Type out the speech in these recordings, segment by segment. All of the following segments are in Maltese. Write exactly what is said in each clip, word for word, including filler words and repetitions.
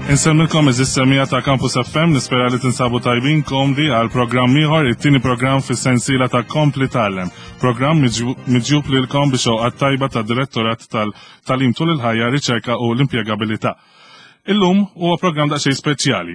Insellmilkom, għeżież semmiegħa ta' Campus F M, nispera li tinsabu tajbin, komdi għal programm ieħor, it-tieni programm fis-sensiela ta' Kompli Tgħallem. Programm miġjub lilkom bix-xewqat tajba ta' Direttorat tal-Tagħlim tul il-ħajja, Riċerka u l-Impjegabilità. Illum huwa programm daqsxejn speċjali,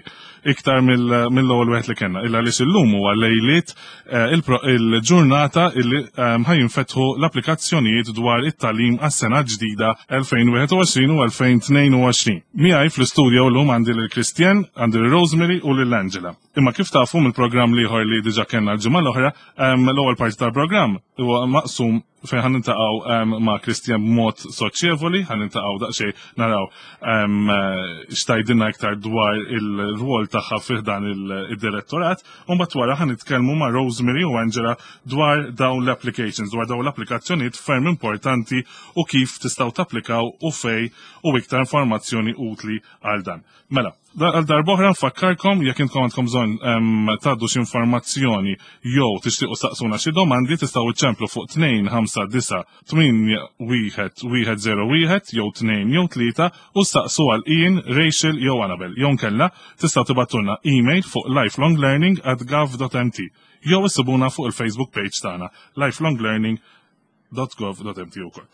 iktar mill-ewwel wieħed li kellna, illa għaliex illum huwa lejliet eh, il-ġurnata illi ehm, ħa jinfetħu l-applikazzjonijiet dwar it-tagħlim għas-sena ġdida elfejn u wieħed u għoxrin u elfejn u tnejn u għoxrin. Miegħi fl-istudio llum għandi lil Christian, għandi lil Rosemary u lil Angela. Imma kif tafu mill-programm l-ieħor li diġà kellna l-ġimgħa l-oħra, ehm, l-ewwel parti tal-programm huwa maqsum fejn ħa niltaqgħu um, ma' Christian b'mod soċjevoli, ħa niltaqgħu daqsxejn naraw um, x'tgħidilna iktar dwar il-rwol tagħha fih dan il-direttorat, u mbagħad wara ħa nitkellmu ma' Rosemary u Angela dwar dawn l-applications, dwar dawn l-applikazzjonijiet ferm importanti u kif tistgħu tapplikaw u fej u iktar informazzjoni utli għal dan. Mela, għal darb'oħra nfakkarkom, jekk intkom għandkom bżonn tgħaddu xi informazzjoni jew tixtiequ saqsuna xi domandi, tistgħu iċċemplu fuq tnejn ħamsa disa' tmienja wieħed wieħed żero wieħed jew tnejn jew tlieta u staqsu għal Ian, Rachel jew Annabel. Jew nkella tistgħu tibagħtulna email fuq lifelonglearning at gov dot M T jew issibuna fuq il-Facebook page tagħna lifelonglearning dot gov dot M T ukoll.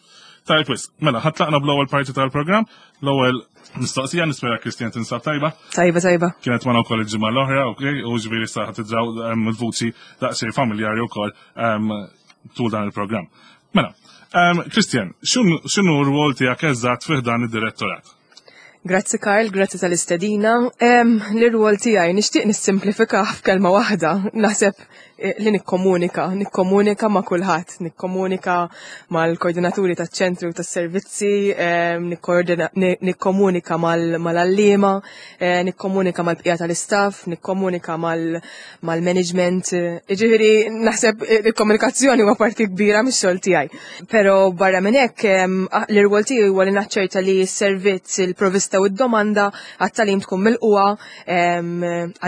Tajb, wis, mela, ħa tlaqna bl-ewwel parti tal-programm, l-ewwel mistoqsija. Nispera, Christian, tinsab tajba. Tajba, tajba. Kienet magħna wkoll il-ġimgħa l-oħra, ok, u ġifieri sa ħa tidraw il-vuċi daqsxejn familjari wkoll tul dan il-programm. Mela, Christian, x'inhu r-rwol tiegħek eżatt fih dan id-direttorat? Grazzi Karl, grazzi tal-istedina. L-rwol tiegħi nixtieq nissimplifika f'kelma waħda. Naħseb eh, li nikkomunika, nikkomunika ma' kulħadd, nikkomunika mal-koordinaturi taċ-ċentru tas-servizzi, nikkomunika mal-għalliema, eh, nikkomunika mal-bqija tal-istaff, nikkomunika mal-management. Ġifieri naħseb il-komunikazzjoni huwa parti kbira mix-xogħol tiegħi. Però barra minn hekk, l-irwol tiegħi huwa li naċċerta li s-servizz, il-provista u d-domanda għat-tagħlim tkun milqugħa,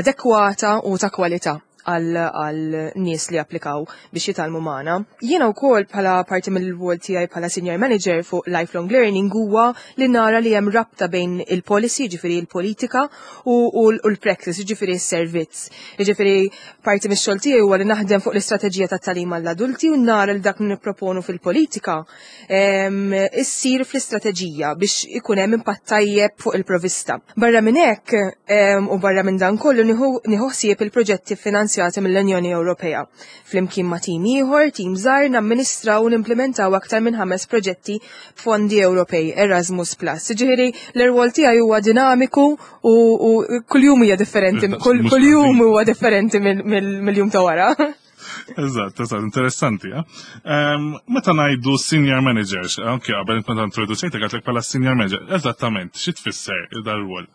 adekwata u ta' kwalità għal nies li applikaw biex jitgħallmu magħna. Jiena wkoll, bħala parti mill-rwol tiegħi bħala senior manager fuq lifelong learning, huwa li nara li hemm rabta bejn il-policy, ġifieri il-politika, u l-practice, ġifieri s-servizz. Ġifieri parti mix-xogħol tiegħi huwa li naħdem fuq l-istrateġija tat-tagħlim għall-adulti u nara li dak li nipproponu fil-politika issir fl-istrateġija biex ikun hemm impatt tajjeb fuq il-provista. Barra minn hekk u barra minn dan kollu, nieħu ħsieb il-proġetti finanzjati mill-Unjoni Ewropea. Flimkien ma' tim ieħor, tim żgħar, namministraw u nimplementaw aktar minn ħames proġetti b'fondi Ewropej Erasmus Plus. Ġifieri l-irwol tiegħi huwa dinamiku u kuljum hija differenti, kuljum huwa differenti mill-jum ta' wara. Eżatt, eżatt, interessanti. Eh? Meta ngħidu senior managers, anke qabel meta introduċejtek għedtlek bħala senior manager, eżattament xi tfisser dar-rwol?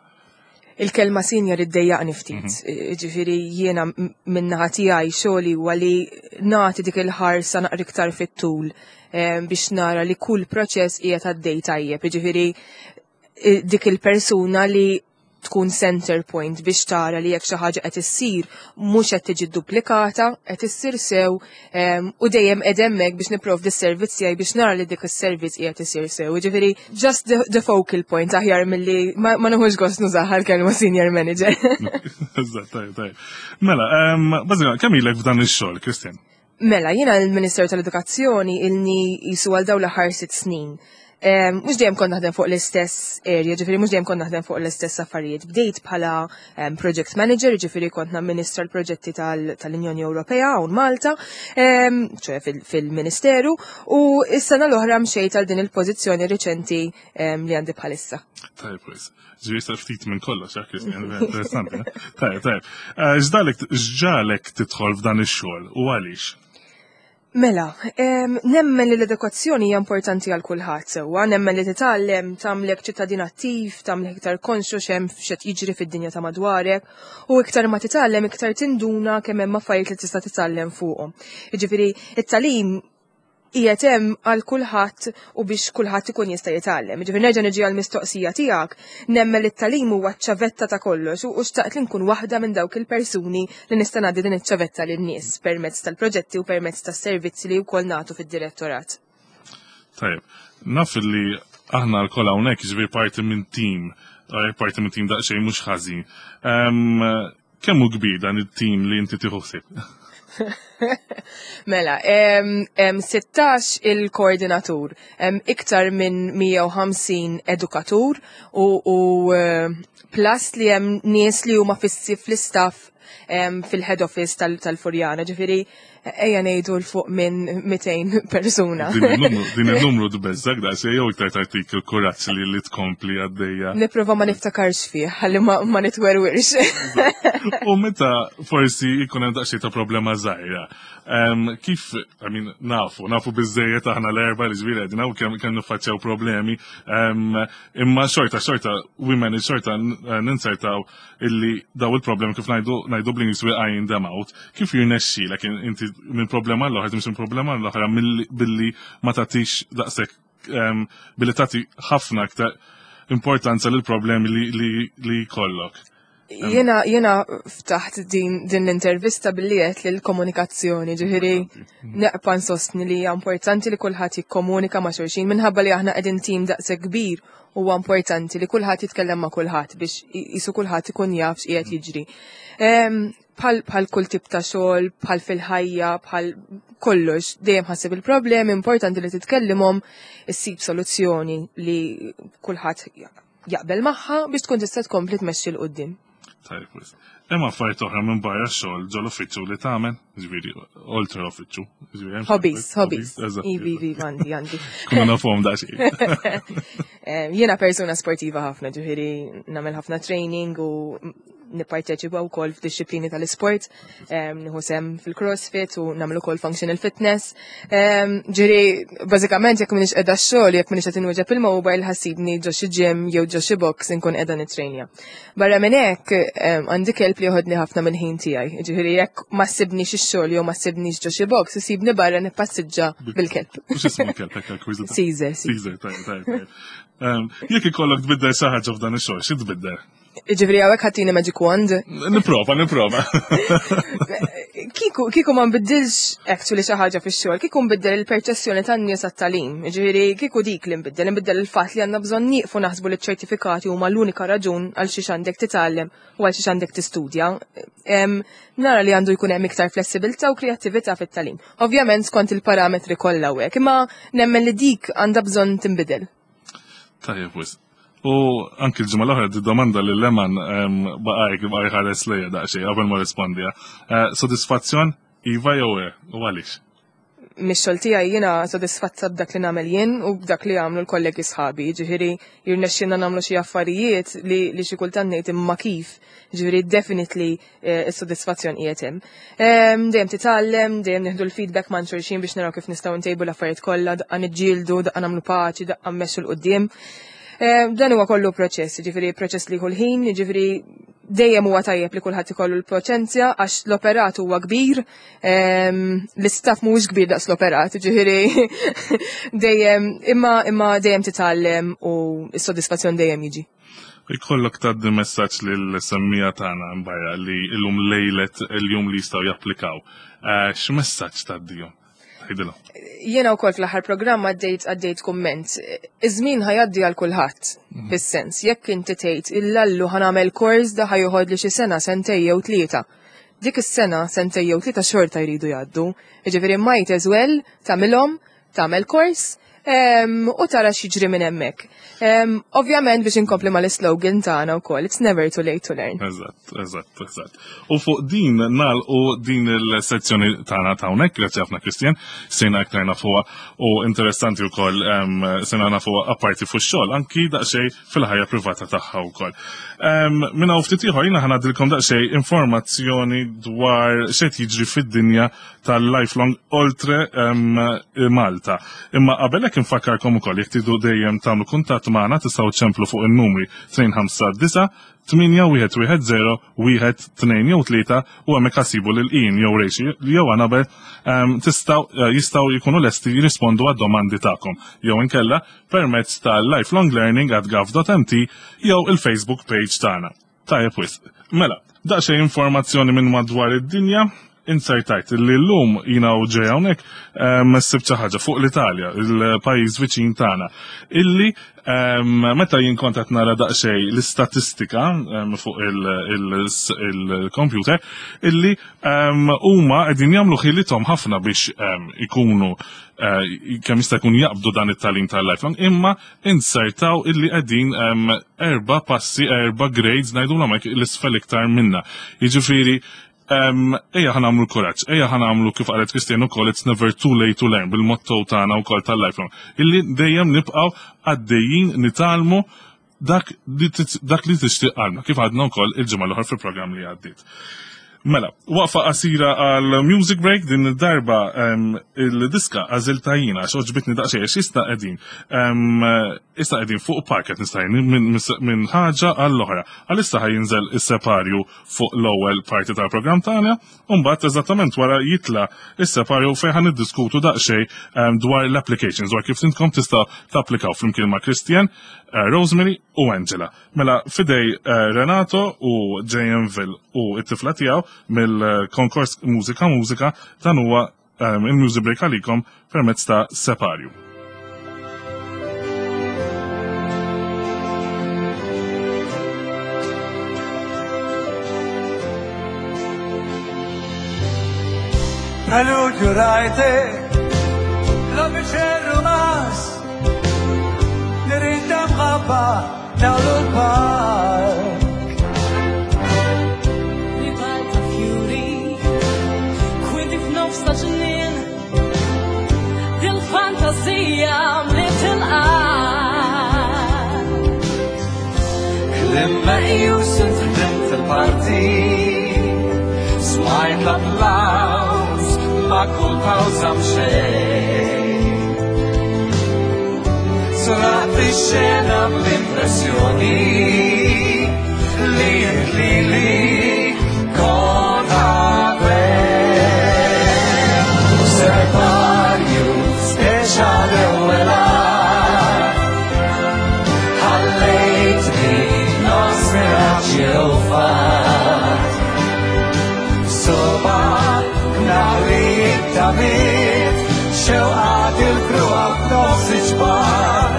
Il-kelma senior iddejjaqni ftit. Mhm. Ġifieri jiena min-naħa tiegħi xogħli huwa li nagħti dik il-ħarsa naqra iktar fit-tul biex nara li kull proċess qiegħed għaddej tajjeb. Ġifieri dik il-persuna li tkun center point biex tara li jekk xi ħaġa qed issir mhux qed tiġi duplikata, qed issir sew em, u dejjem qed hemmhekk biex nipprovdi s-servizz tiegħi biex nara li dik is-servizz qiegħed isir sew. Ġifieri just the, the focal point aħjar milli ma, ma nieħux gost nużaha l-kelma senior manager. Eżatt, tajjeb, tajjeb. Mela, em, bażikament, kemm ilek f'dan ix-xogħol, Christian? Mela, jiena l-Ministeru tal-Edukazzjoni ilni jisu għal dawn l-aħħar sitt snin. Em, Mhux dejjem kont naħdem fuq l-istess area, ġifieri mhux dejjem kont naħdem fuq l-istess affarijiet. Bdejt bħala em, project manager, ġifieri kont namministra l-proġetti tal- tal-Unjoni Ewropea hawn Malta, em, ċoè fil- fil-Ministeru, u s-sena l-oħra mxejt għal din il-pożizzjoni reċenti em, li għandi bħalissa. Tajjeb, wis. Ġifieri sa ftit minn kollox, eh, Christian, interessanti. Eh? Tajjeb, tajjeb. Eh, X'ġagħlek x'ġagħlek tidħol f'dan ix-xogħol u għaliex? Mela, em, nemmen li l-edukazzjoni hija importanti għal kulħadd sewwa, nemmen li titgħallem tagħmlek ċittadin attiv, tagħmlek iktar konxu x'hemm, x'qed jiġri fid-dinja ta' madwarek, u iktar ma titgħallem iktar tinduna kemm hemm affarijiet li tista' titgħallem fuqhom. Jiġifieri it-tagħlim qiegħed hemm għal kulħadd u biex kulħadd ikun jista' jitgħallem. Ġifieri nerġa' niġi għal mistoqsija tiegħek, nemmen li t-tagħlim huwa ċ-ċavetta ta' kollox u u xtaqt li nkun waħda minn dawk il-persuni li nista' ngħaddi din iċ-ċavetta lin-nies permezz tal-proġetti u permezz tas-servizzi li wkoll nagħtu fid-direttorat. Tajjeb, naf li Aħna lkoll hawnhekk, ġifieri parti minn team, parti minn team daqsxejn mhux ħażin. Kemm hu kbir dan it-team li inti tieħu ħsieb? Mela, sittax il-koordinatur, iktar minn mija u ħamsin edukatur u, u eh, plus li hemm nies li huma fissi fl-istaff fil-head office tal-Furjana, ġifieri ejja ngħidu 'l fuq minn mitejn persuna. Din il-numru tbeżżgħek daqsxejn jew iktar tagħtik il-kuraġġ li li tkompli għaddejja? Nipprova ma niftakarx fih, ħalli ma, ma nitwerwirx. U meta forsi jkun hemm daqsxejn ta' problema żgħira, kif, I mean, nafu, nafu biżejjed aħna l-erba li ġifieri qegħdin hawn kemm kemm niffaċċjaw problemi, imma xorta xorta we manage, xorta ninsertaw illi daw il-problemi, kif ngħidu ngħidu bl-Ingliż, we iron them out. Kif jirnexxilek inti minn problema l-oħra, timxi minn problema l-oħra billi ma tagħtix daqshekk, billi tagħti ħafna aktar importanza lil problemi li, li, li jkollok? Jena, jena ftaħt din, din l-intervista billi għedt li l-komunikazzjoni, ġifieri nibqa' nsostni li hija importanti li kulħadd jikkomunika ma' xulxin minħabba li aħna qegħdin tim daqshekk kbir. Huwa importanti li kulħadd jitkellem ma' kulħadd biex jisu kulħadd ikun jaf x'qiegħed jiġri. Bħal kull tip ta' xogħol, bħal fil-ħajja, bħal kollox, dejjem ħa ssib il-problemi, importanti li titkellimhom, issib soluzzjoni li kulħadd jaqbel magħha biex tkun tista' tkompli tmexxi 'l quddiem. Tajjeb, hemm affarijiet oħra minn barra x-xogħol ġol uffiċċju li tagħmel, ġifieri oltre l-uffiċċju? Hobbies, hobbies. Ivi, ivi, għandi, għandi. Kuna nafhom daqsxejn. Jiena persuna sportiva ħafna, ġifieri nagħmel ħafna training u nipparteċipa wkoll f'dixxiplini tal-isport, nieħu sehem fil-CrossFit u nagħmlu ukoll functional fitness. Ġifieri, bażikament jekk m'iniex qiegħda x-xogħol, jekk m'iniex qed inwieġeb il-mobile, ħa ssibni ġo xi gym jew ġo xi box inkun qiegħda nitrenja. Barra minn hekk għandi kelb li joħodni ħafna mill-ħin tiegħi. Ġifieri jekk ma ssibnix ix-xogħol jew ma ssibnix ġo xi box, issibni barra nippassiġġa bil-kelb. X'ismu l-kelb hekk? Caesar. Caesar, tajjeb, tajjeb. Jekk ikollok tbiddel xi ħaġa f'dan ix-xogħol, xi tbiddel? Ġifieri hawnhekk ħa ttini magic wand? Nipprova, nipprova. Kiku, kiku ma nbiddilx actually xi ħaġa fix-xogħol, kiku nbiddel il-perċezzjoni tan-nies għat-tagħlim. Ġifieri kiku dik li nbiddel, nbiddel il-fatt li għandna bżonn nieqfu naħsbu li ċ-ċertifikati huma l-unika raġun għal xiex għandek titgħallem u għal xiex għandek tistudja. Nara li għandu jkun hemm iktar flessibilità u kreattività fit-tagħlim. Ovvjament skont il-parametri kollha hekk, imma nemmen li dik għandha bżonn tinbidel. Tajjeb, wisq. U anki l-ġimgħa l-oħra di domanda li Leman baqajk baqaj ħares lejja daqsxejn qabel ma rrispondija. Eh, sodisfazzjon, iva jew le, u għaliex? Mix-xogħol tiegħi jiena sodisfatta b'dak li nagħmel jien u b'dak li jagħmlu l-kollegi sħabi. Ġifieri jirnexxilna nagħmlu xi affarijiet li, li xi kultant ngħid imma kif. Ġifieri definitely eh, is-sodisfazzjon qiegħed hemm. Ehm, dejjem titgħallem, dejjem nieħdu l-feedback ma' xulxin biex naraw kif nistgħu ntejbu l-affarijiet kollha, daqqa niġġieldu, daqqa nagħmlu paċi, daqqa mmexxu 'l quddiem. Ehm, dan huwa kollu proċess, ġifieri proċess li jieħu l-ħin, ġifieri dejjem huwa tajjeb li kulħadd ikollu l-paċenzja għax l-operat huwa kbir, ehm, l-istaff mhuwiex kbir daqs l-operat, ġifieri dejjem imma imma dejjem titgħallem u s-sodisfazzjon dejjem jiġi. Ikollok tgħaddi messaġġ lil-semmiegħa tagħna barra li illum lejlet il-jum li jistgħu japplikaw. Eh, x'messaġġ tgħaddihom? Tgħidilhom. Jiena wkoll fl-aħħar programm għaddejt għaddejt kumment. Iż-żmien ħa jgħaddi għal kulħadd, fis-sens, jekk inti tgħid illallu ħa nagħmel kors da ħa joħodli xi sena, sentej jew tlieta. Dik is-sena, sentej jew tlieta xorta jridu jgħaddu. Jiġifieri might as well tagħmilhom, tagħmel kors em, u tara x'jiġri minn hemmhekk. Em, Ovvjament biex inkompli mal-slogan tagħna wkoll, "It's never too late to learn." Eżatt, eżatt, eżatt. U fuq din nagħlqu din il-sezzjoni tagħna ta' hawnhekk, grazzi ħafna Christian, sejna aktar nafuha u interessanti wkoll em, sejna nafuha apparti fuq xogħol, anki daqsxejn fil-ħajja privata tagħha wkoll. Em, Minn hawn ftit ieħor jiena ħa ngħaddilkom daqsxejn informazzjoni dwar x'qed jiġri fid-dinja tal-lifelong oltre em, Malta. Imma qabel hekk infakkarkom ukoll, jekk tridu dejjem tagħmlu kuntatt magħna, tistgħu ċemplu fuq in-numri tnejn ħamsa disgħa tmienja wieħed wieħed żero wieħed tnejn jew tlieta u hemmhekk ħa ssibu lil Ian jew Rachel jew Annabel, em, tistgħu eh, jistgħu jkunu lesti jirrispondu għad-domandi tagħkom jew inkella permezz ta' lifelonglearning at gov dot M T jew il-Facebook page tagħna. Tajjeb wisq. Mela, daqsxejn informazzjoni minn madwar id-dinja. Insertajt li llum jiena u ġej hawnhekk sibt xi ħaġa fuq l-Italja, il-pajjiż viċin tagħna, illi meta jien kont qed nara daqsxejn l-istatistika fuq il-computer, illi huma qegħdin jagħmlu ħilithom ħafna biex ikunu kemm jista' jkun jaqbdu dan it-tagħlim tal-lifelong, imma insertaw illi qegħdin erba' passi, erba' grades ngħidulhom hekk l-isfel iktar minna. Jiġifieri ejja ħa nagħmlu kuraġġ, ejja ħa nagħmlu kif qalet Christian ukoll, it's never too late to learn, bil-motto tagħna wkoll tal-lifelong, illi dejjem nibqgħu għaddejjin nitgħallmu dak li tixtieq qalbna, kif għadna wkoll il-ġimgħa l-oħra fil-programm li għaddiet. Mela, waqfa qasira għal music break, din id-darba il-diska għażilta jiena għax oġbitni daqsxejn, għax issa qegħdin issa qegħdin fuq parket nista' minn ħaġa għall-oħra. Għalissa ħa jinżel is-separju fuq l-ewwel parti tal-programm tagħna, u mbagħad eżattament wara jitla' is-separju fejn ħa niddiskutu daqsxejn dwar l-applications, dwar kif intkom tista' tapplikaw flimkien ma' Christian, Rosemary u Angela. Mela fidej Renato u J M Ville u t-tifla tiegħu mill-konkors Mużika Mużika, dan huwa il-music break għalikom permezz ta' Separju. Preludio rajtek, l-obiċer rumas, nirindam ħabba dawl l-park. Ribalta fjuri, kwinti f'nofs ta' ġnien, dil-fantasija mliet il-qalb. Klim meqjus intħdimt il-parti, smajt l-applaws, ma' kull pawża mxejn. Sraqt ix-xena bl-impressjoni li int lili kont qabel. Separju speċa l-ewwel għad, ħallejtni nofs miraġġ jew fatt. Soba nhar it-tamiet, xewqat il-kruha f'nofs iġbar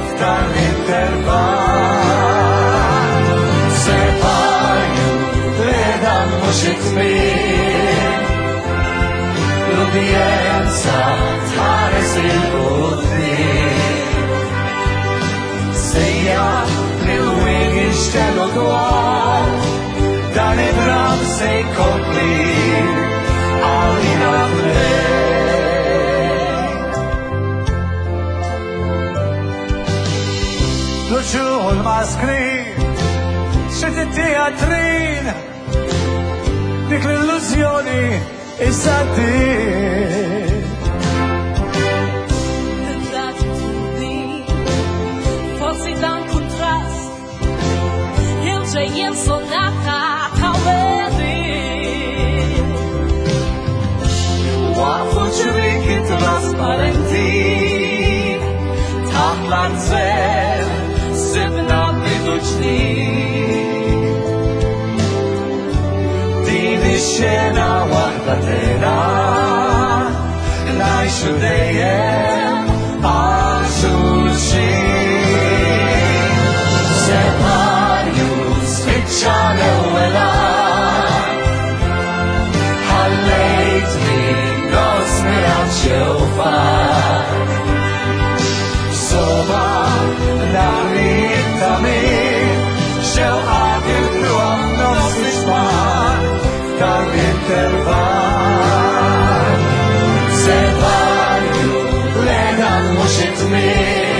f'dan l-intervall. Separju li dan mhux it-tmiem, l-udjenza tħares il-quddiem. Sejja lil wien jinxtelu dwar, dan id-dram se jkompli għalina tnejn. L-uċuħ u l-maskri, xi teatrin, dik l-illużjoni issa din. L-attitudni, forsi dan kuntrast, il-ġejjin sonata ta' wedin. Waqfu ċriki trasparenti, taħt l-arzel, sibna bidu ġdid. Din ix-xena waħda tena, ngħixu dejjem għal xulxin. Separju spiċċa l-ewwel għad, ħallejtni nofs miraġġ jew fatt. Soba nhar it-tamiet, xewqat il-kruha f'nofs iġbar f'dan l-intervall. Separju le dan mhux it-tmiem,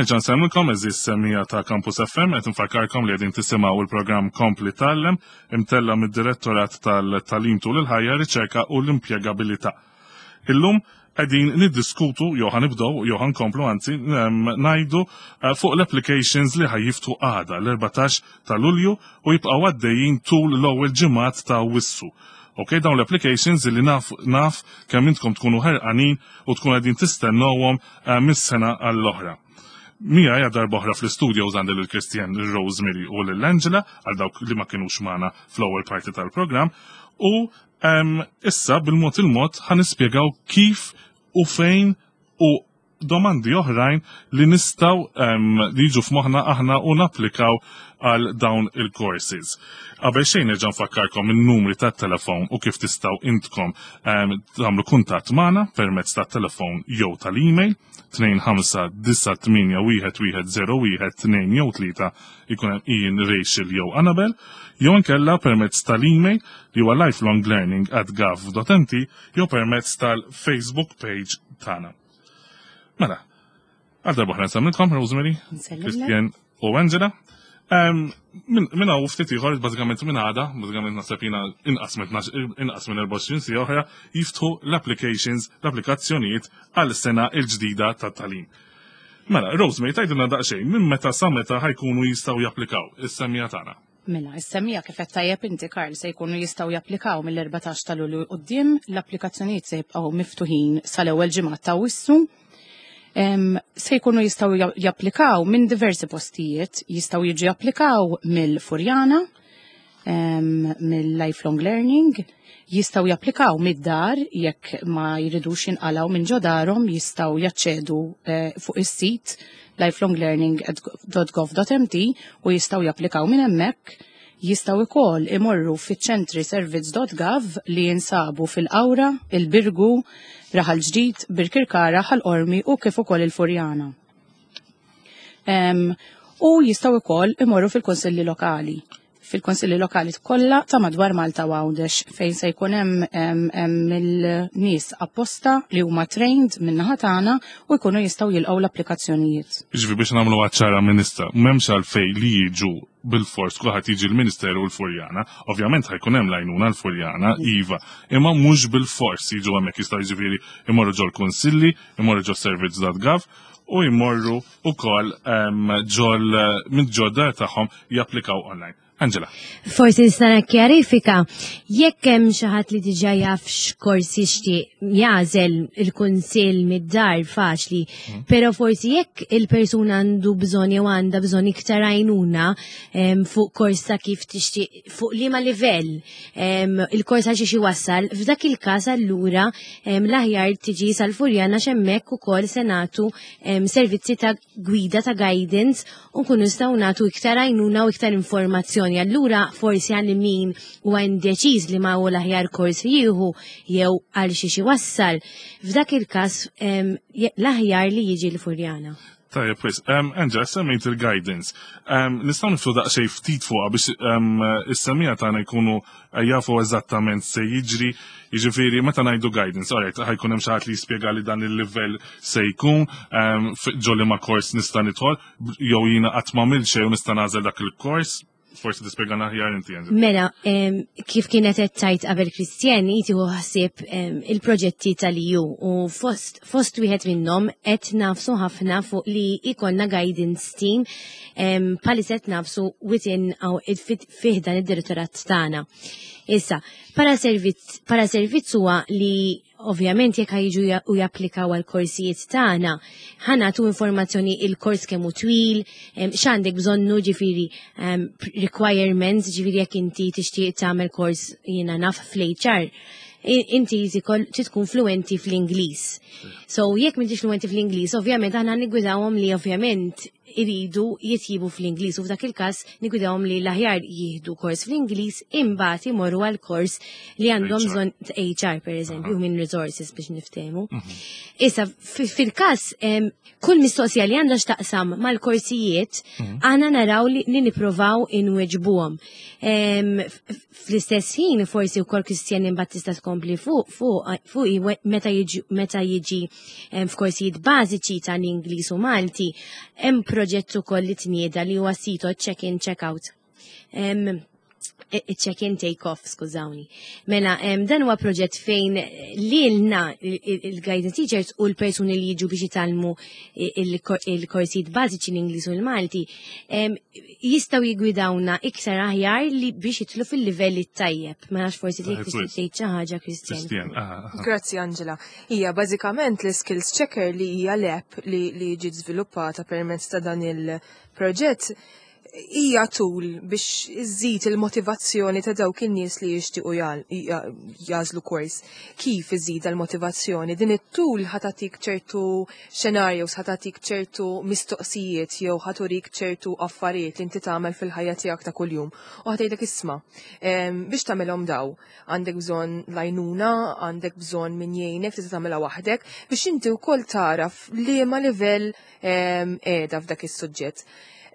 Nerġa' nsellmilkom, għeżież semmiegħa ta' Campus F M, qed nfakkarkom li qegħdin tisimgħu il-programm Kompli Tgħallem, imtella' mid-Direttorat tal-Tagħlim tul il-Ħajja, Riċerka u l-Impjegabilità. Illum qegħdin niddiskutu, jew ħa nibdew, jew ħa nkomplu anzi, ngħidu eh, fuq l-applications li ħa jiftħu għada l-erbatax ta' Lulju u jibqgħu għaddejjin tul l-ewwel ġimgħat ta' Awwissu. Ok, dawn l-applications li naf, naf kemm intkom tkunu ħerqanin u tkunu qegħdin tistennowhom eh, mis-sena għall-oħra. Miegħi għal darb'oħra fl-studio għandi lil Christian, Rosemary u lil Angela, għal dawk li ma kienux magħna fl-ewwel parti tal-programm, u um, issa bil-mod il-mod ħa nispjegaw kif u fejn u domandi oħrajn li nistgħu um, li jiġu f'moħħna aħna u napplikaw għal dawn il-courses. Qabel xejn nerġa' nfakkarkom in-numri tat-telefon u kif tistgħu intkom um, tagħmlu kuntatt magħna permezz tat-telefon jew tal-email tnejn ħamsa disa' tmienja wieħed wieħed żero wieħed tnejn jew tlieta, ikun hemm Ian, Rachel jew Annabel, jew inkella permezz tal-email li huwa lifelonglearning at gov dot M T jew permezz tal-Facebook page tagħna. Mela, għal darba oħra nsellmilkom, Rosemary, Christian u Angela. Minn hawn ftit ieħor, bażikament minn għada, bażikament naħseb jiena inqas minn inqas minn erbgħa u għoxrin siegħa oħra, jiftħu l-applications, l-applikazzjonijiet għal sena il-ġdida tat-tagħlim. Mela, Rosemary, tgħidilna daqsxejn minn meta sa meta ħa jkunu jistgħu japplikaw is-semmiegħa tagħna? Mela, is-semmiegħa, kif qed tajjeb inti, Karl, se jkunu jistgħu japplikaw mill-erbatax ta' Lulju quddiem, l-applikazzjonijiet se jibqgħu miftuħin sal-ewwel ġimgħa ta' Awwissu. Se jkunu jistgħu japplikaw minn diversi postijiet, jistgħu jiġu japplikaw mill-Furjana, mill-Lifelong Learning, jistgħu japplikaw mid-dar jekk ma jridux jinqalgħu minn ġo darhom, jistgħu jaċċedu eh, fuq is-sit lifelonglearning dot gov dot M T u jistgħu japplikaw minn hemmhekk. Jistgħu ukoll imorru fiċ-ċentri servizz dot gov li jinsabu fil-Qawra, il-Birgu, Raħal Ġdid, Birkirkara, Ħal Qormi u kif ukoll il-Furjana. Em, u jistgħu ukoll imorru fil-konsilli lokali fil-konsilli lokali kollha ta' madwar Malta u Għawdex, fejn se jkun hemm em, hemm il-nies apposta li huma trained min-naħa tagħna u jkunu jistgħu jilqgħu l-applikazzjonijiet. Ġifieri biex nagħmlu ċara minista, m'hemmx għalfejn li jiġu bil-fors kulħadd jiġi l-Ministeru u l-Furjana. Ovvjament ħa jkun hemm l-għajnuna l-Furjana, iva, imma mhux bil-fors jiġu hemmhekk, jistgħu jiġifieri imorru ġol kunsilli, imorru ġol servizz dot gov u jmorru ukoll em, ġol minn ġod dar tagħhom japplikaw online. Angela. Forsi nista' nikkjarifika, jekk hemm xi ħadd li diġà jaf x'kors jixtieq jagħżel, il-kunsill mid-dar faċli, però forsi jekk il-persuna għandu bżonn jew għandha bżonn iktar għajnuna em, fuq kors ta' kif tixtieq, fuq liema livell em, il-kors għal xiex iwassal, f'dak il-każ allura em, l-aħjar tiġi sal-Furjana, hemmhekk ukoll se nagħtu em, servizzi ta' gwida, ta' guidance, u nkunu nistgħu nagħtu iktar għajnuna u iktar informazzjoni. Allura forsi għal min huwa indeċiż li ma hu l-aħjar kors jieħu jew għal xiex iwassal, f'dak il-każ em, je- l-aħjar li jiġi l-Furjana. Tajjeb, wis. Um, Angela, semmejt il-guidance. Um, nistgħu niftħu daqsxejn ftit fuqha biex um, is-semmiegħa tagħna jkunu eh, jafu eżattament se jiġri? Jiġifieri meta ngħidu guidance, alright, ħa jkun hemm xi ħadd li jispjega li dan il-livell se jkun, um, ġo liema kors nista' nidħol, jew jiena qatt ma xejn u nista' nagħżel dak il-kors? Forsi tispjegana aħjar inti, Angela. Mela, em, kif kienet qed tgħid qabel Kristjan, jieħu ħsieb em, il-proġetti tal-E U u fost, fost wieħed minnhom qed nagħfsu ħafna fuq li ikollna guidance team em, bħalissa qed nagħfsu within aw fih dan id-direttorat tagħna. Issa, para servizz para servizz huwa li ovvjament jekk ħa jiġu ja- u japplikaw għal korsijiet tagħna, ħa nagħtu informazzjoni il-kors kemm hu twil, em, x'għandek bżonnu, ġifieri em, requirements, ġifieri jekk inti tixtieq tagħmel kors, jiena naf, fl-H R, i- inti trid tkun fluenti fl-Ingliż. So jekk m'intix fluenti fl-Ingliż, ovvjament aħna niggwidawhom li ovvjament iridu jitjibu fl-Ingliż u f'dak il-każ nigwidawhom li l-aħjar jieħdu kors fl-Ingliż, imbagħad imorru għal kors li għandhom H R. bżonn ta' H R, per eżempju, human resources, biex niftehmu. Issa, fi- fil-każ em, kull mistoqsija li għandha x'taqsam mal-korsijiet, għana naraw li, li niprovaw inweġbuhom. Em, f- Fl-istess ħin, forsi wkoll Kristjan imbagħad tista' tkompli fuq fuq fuq i- meta jiġi meta jiġi em, f'korsijiet bażiċi tal-Ingliż u Malti, hemm proġett ukoll li tnieda li huwa sito check-in check-out. Em, Check-in take off, skużawni. Mela, em, dan huwa proġett fejn lilna il-guidance teachers u l-persuni li jiġu biex jitgħallmu il-korsijiet bażiċi, l-Ingliż u l-Malti, em, jistgħu jigwidawna iktar aħjar li biex jidħlu fil-livelli tajjeb. Ma nafx, forsi Tajjeb, dik tixtieq wis. tgħid xi ħaġa, Kristjan. Kristjan, aha, aha. Grazzi, Angela. Hija bażikament l-Skills Checker, li hija l-app li, li ġiet żviluppata permezz ta' dan il-proġett, hija tool biex iżżid il-motivazzjoni ta' dawk in-nies li jixtiequ jal- ja- jagħżlu kors. Kif iżid il-motivazzjoni? Din it-tool ħa tagħtik ċertu scenarios, ħa tagħtik ċertu mistoqsijiet jew ħa turik ċertu affarijiet li inti tagħmel fil-ħajja tiegħek ta' kuljum. U ħa tgħidlek, "Isma', em, biex tagħmelhom daw, għandek bżonn l-għajnuna, għandek bżonn min jgħinek, tista' tagħmilha waħdek," biex inti wkoll taraf liema livell em, qiegħda f'dak is-suġġett.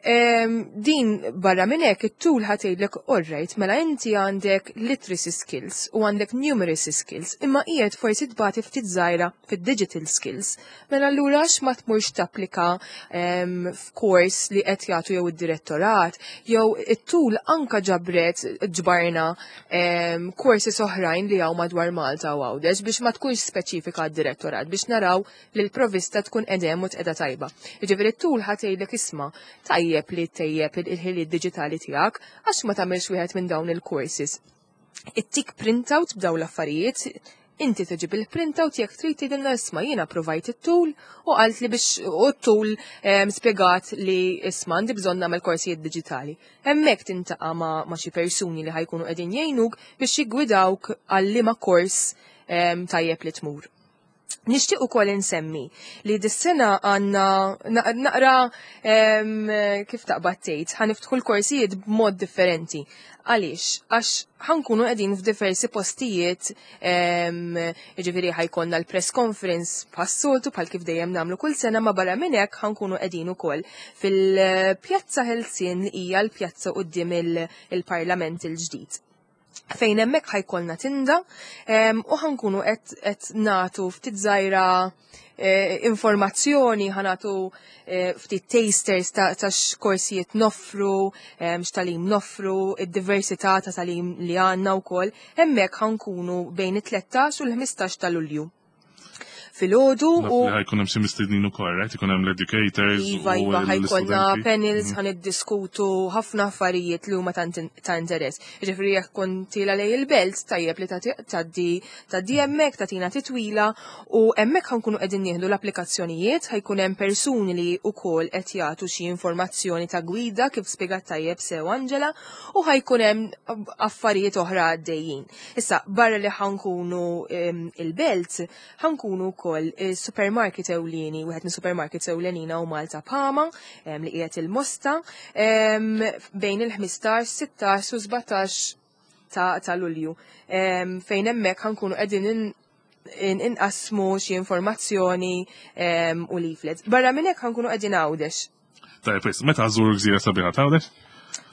Em, din barra minn hekk, it-tool ħa tgħidlek, "Alright, mela inti għandek literacy skills u għandek numeracy skills, imma qiegħed forsi tbati ftit żgħira fid-digital skills. Mela allura għax ma tmurx tapplika em, f'kors li qed jagħtu jew id-direttorat, jew it-tool anka ġabret ġbarna em, courses oħrajn li hawn madwar Malta u Għawdex biex ma tkunx speċifika għad-direttorat, biex naraw li l-provista tkun edem u tqeda tajba." Jiġifieri t-tool ħa tgħidlek, "Isma', tajjeb li tejjeb il-ħiliet diġitali tiegħek, għax ma tagħmilx wieħed minn dawn il-courses?" Ittik printout b'daw l-affarijiet, inti tiġib il-printout jekk trid, tgħidilna, "Isma', jiena provajt it-tool u qalt li biex u t-tool em, spjegat li, isma', għandi bżonn nagħmel korsijiet diġitali." Hemmhekk tintaqa' ma', ma xi persuni li ħa jkunu qegħdin jgħinuk biex jiggwidawk għal liema kors em, tajjeb li tmur. Nixtieq ukoll insemmi li dis-sena għandna na- naqra em, kif taqbad tgħid, ħa niftħu l-korsijiet b'mod differenti. Għaliex? Għax ħa nkunu qegħdin f'diversi postijiet, em, jiġifieri ħa jkollna l-press conference bħas-soltu, bħal kif dejjem nagħmlu kull sena, ma barra minn hekk ħa nkunu qegħdin ukoll fil-Pjazza Ħelsien, li hija l-pjazza quddiem il- il-Parlament il-ġdid, fejn hemmhekk ħa jkollna tinda em, u ħa nkunu qed qed nagħtu ftit żgħira eh, informazzjoni, ħa nagħtu eh, ftit tasters ta', ta' x'korsijiet noffru, em, x'tagħlim noffru, id-diversità ta' tagħlim li għandna wkoll. Hemmhekk ħa nkunu bejn it-tlettax u l-ħmistax ta' Lulju. Filgħodu Naf u li ħa jkun hemm xi mistednin ukoll, right? Ikun hemm l-educators Iva, u iva, ħa jkollna l-istudenti. Panels, ħa niddiskutu ħafna affarijiet li huma ta' ta' interess. Ġifieri jekk kont tiela' lejn il-Belt, tajjeb li tgħaddi tgħaddi hemmhekk, tagħtina titwila, u hemmhekk ħa nkunu qegħdin nieħdu l-applikazzjonijiet, ħa jkun hemm persuni li wkoll qed jagħtu xi informazzjoni ta' gwida, kif spjegat tajjeb sew Angela, u ħa jkun hemm affarijiet oħra għaddejjin. Issa, barra li ħa nkunu em, il-Belt, ħa nkunu wkoll il-supermarket ewlieni, wieħed minn supermarkets ewlenina u Malta Pama, em, li qiegħed il-Mosta, em, bejn il-ħmistax, sittax u sbatax ta', ta' Lulju. Em, fejn hemmhekk ħa nkunu qegħdin in- in- inqasmu xi informazzjoni em, u leaflets. Barra minn hekk, ħa nkunu qegħdin Għawdex. Tajjeb, wis, meta żżuru l-gżira sabiħa t'Għawdex?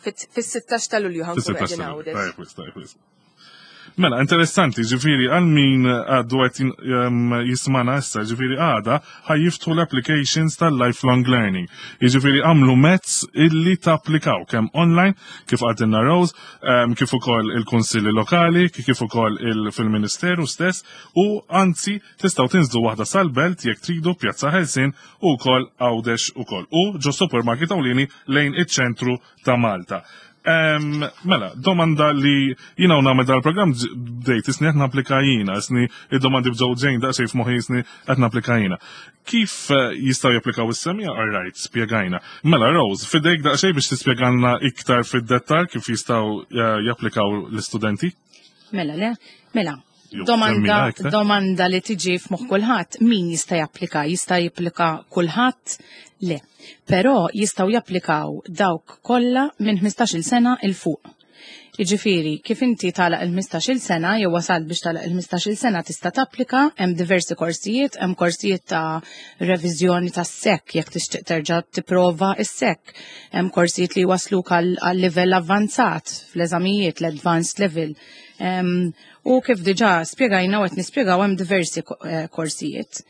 Fis-sittax ta' Lulju ħa nkunu Fis-sittax qegħdin ta' Għawdex. Tajjeb, wis, tajjeb, wis. Mela, interessanti, ġifieri, għal min għaddu qed jismagħna issa, ġifieri għada ħa jiftħu l-applications tal-lifelong learning. Ġifieri għamlu mezz illi tapplikaw kemm online, kif għedtilna Rose, em, kif ukoll il-kunsilli lokali, kif ukoll il- fil-Ministeru stess, u anzi tistgħu tinżlu waħda sal-Belt jekk tridu, Pjazza Ħelsien, u wkoll Għawdex ukoll. U ġo supermarket ewlieni lejn iċ-ċentru ta' Malta. Em, mela, domanda li jina u nagħmel dal-programm bdejt isni qed napplika jina, isni id-domandi bġew ġejn daqsxejn f'moħħi, isni qed napplika jina. Kif eh, jistgħu japplikaw is-semmiegħa? All right, spjegajna. Mela, Rose, fidejk daqsxejn biex tispjegalna iktar fid-dettal kif jistgħu eh, japplikaw l-istudenti. Mela, le, mela, Jew Domanda, semmina iktar. Domanda li tiġi f'moħħ kulħadd, min jista' japplika? Jista' japplika kulħadd? Le. Però jistgħu japplikaw dawk kollha minn ħmistax-il sena 'il fuq. Jiġifieri, kif inti tagħlaq il-ħmistax-il sena jew wasalt biex tagħlaq il-ħmistax-il sena tista' tapplika, hemm diversi korsijiet, hemm korsijiet ta' reviżjoni tas-S E C jekk tixtieq terġa' tipprova is-S E C. Hemm korsijiet li wasluk għal għal livell avvanzat fl-eżamijiet, l-advanced level. Em, U kif diġà spjegajna u qed nispjegaw, hemm diversi ko- eh, korsijiet.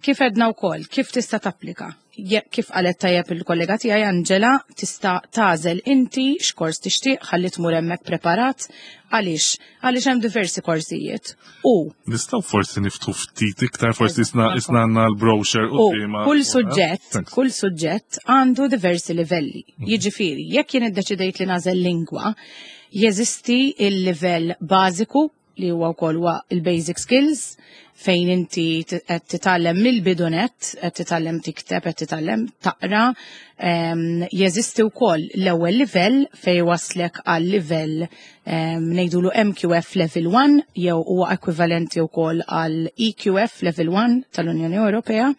Kif għedna wkoll, kif tista' tapplika? Je- Kif qalet tajjeb il-kollega tiegħi Angela, tista' tagħżel inti x'kors tixtieq ħalli tmur hemmhekk preparat. Għaliex? Għaliex hemm diversi korsijiet. U Nistgħu forsi niftħu ftit iktar, forsi isna isna għandna l-brochure U quddiema. kull suġġett, Thanks. kull suġġett għandu diversi livelli. Jiġifieri, jekk jien iddeċidejt li nagħżel lingwa, jeżisti il-livell bażiku li huwa wkoll huwa il-basic skills, fejn inti t- qed titgħallem mill-bidunet, qed titgħallem tikteb, qed titgħallem taqra. Em, Jeżisti wkoll l-ewwel livell fejn waslek għal livell em, ngħidulu M Q F Level one jew huwa ekwivalenti wkoll għal E Q F Level one tal-Unjoni Ewropea.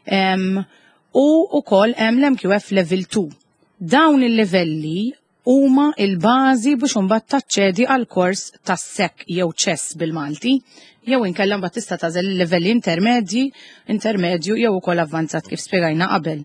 Em, U wkoll hemm l-M Q F Level two. Dawn il-livelli huma il-bażi biex imbagħad taċċedi għal kors tas-S E C jew C E S bil-Malti, jew inkella mbagħad tista' tagħżel il-livelli intermedji, intermedju jew ukoll avvanzat kif spjegajna qabel.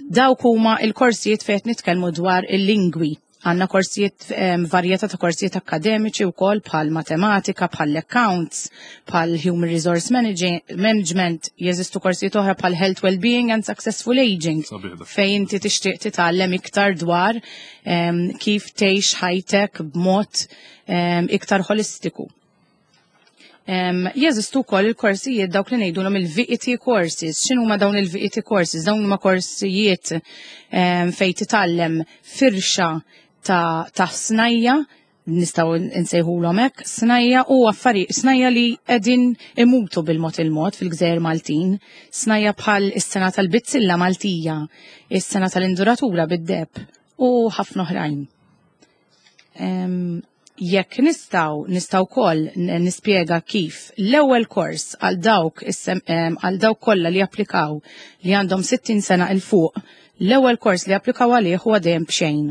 Dawk huma il-korsijiet fejn qed nitkellmu dwar il-lingwi. Għandna korsijiet, em, varjetà ta' korsijiet akademiċi wkoll bħal matematika, bħal accounts, bħal human resource manage- management, jeżistu korsijiet oħra bħal health, well-being and successful aging, Sabiħ dak. fejn inti tixtieq titgħallem iktar dwar em, kif tgħix ħajtek b'mod em, iktar holistiku. Um, jeżistu wkoll il-korsijiet dawk li ngħidulhom il-V E T courses. X'inhuma dawn il-V E T courses? Dawn huma korsijiet um, fejn titgħallem firxa ta', ta' snajja, nistgħu nsejħulhom hekk, snajja u affarijiet, snajja li qegħdin imutu bil-mod il-mod fil-Gżejjer Maltin, snajja bħal is-sengħa tal-bizzilla Maltija, is-sengħa tal-induratura bid-deheb u ħafna oħrajn. Em, jekk nistgħu, nistgħu wkoll nispjega kif l-ewwel kors għal dawk is-sem- em, għal dawk kollha li applikaw li għandhom sittin sena 'il fuq, l-ewwel kors li applikaw għalih huwa dejjem b'xejn.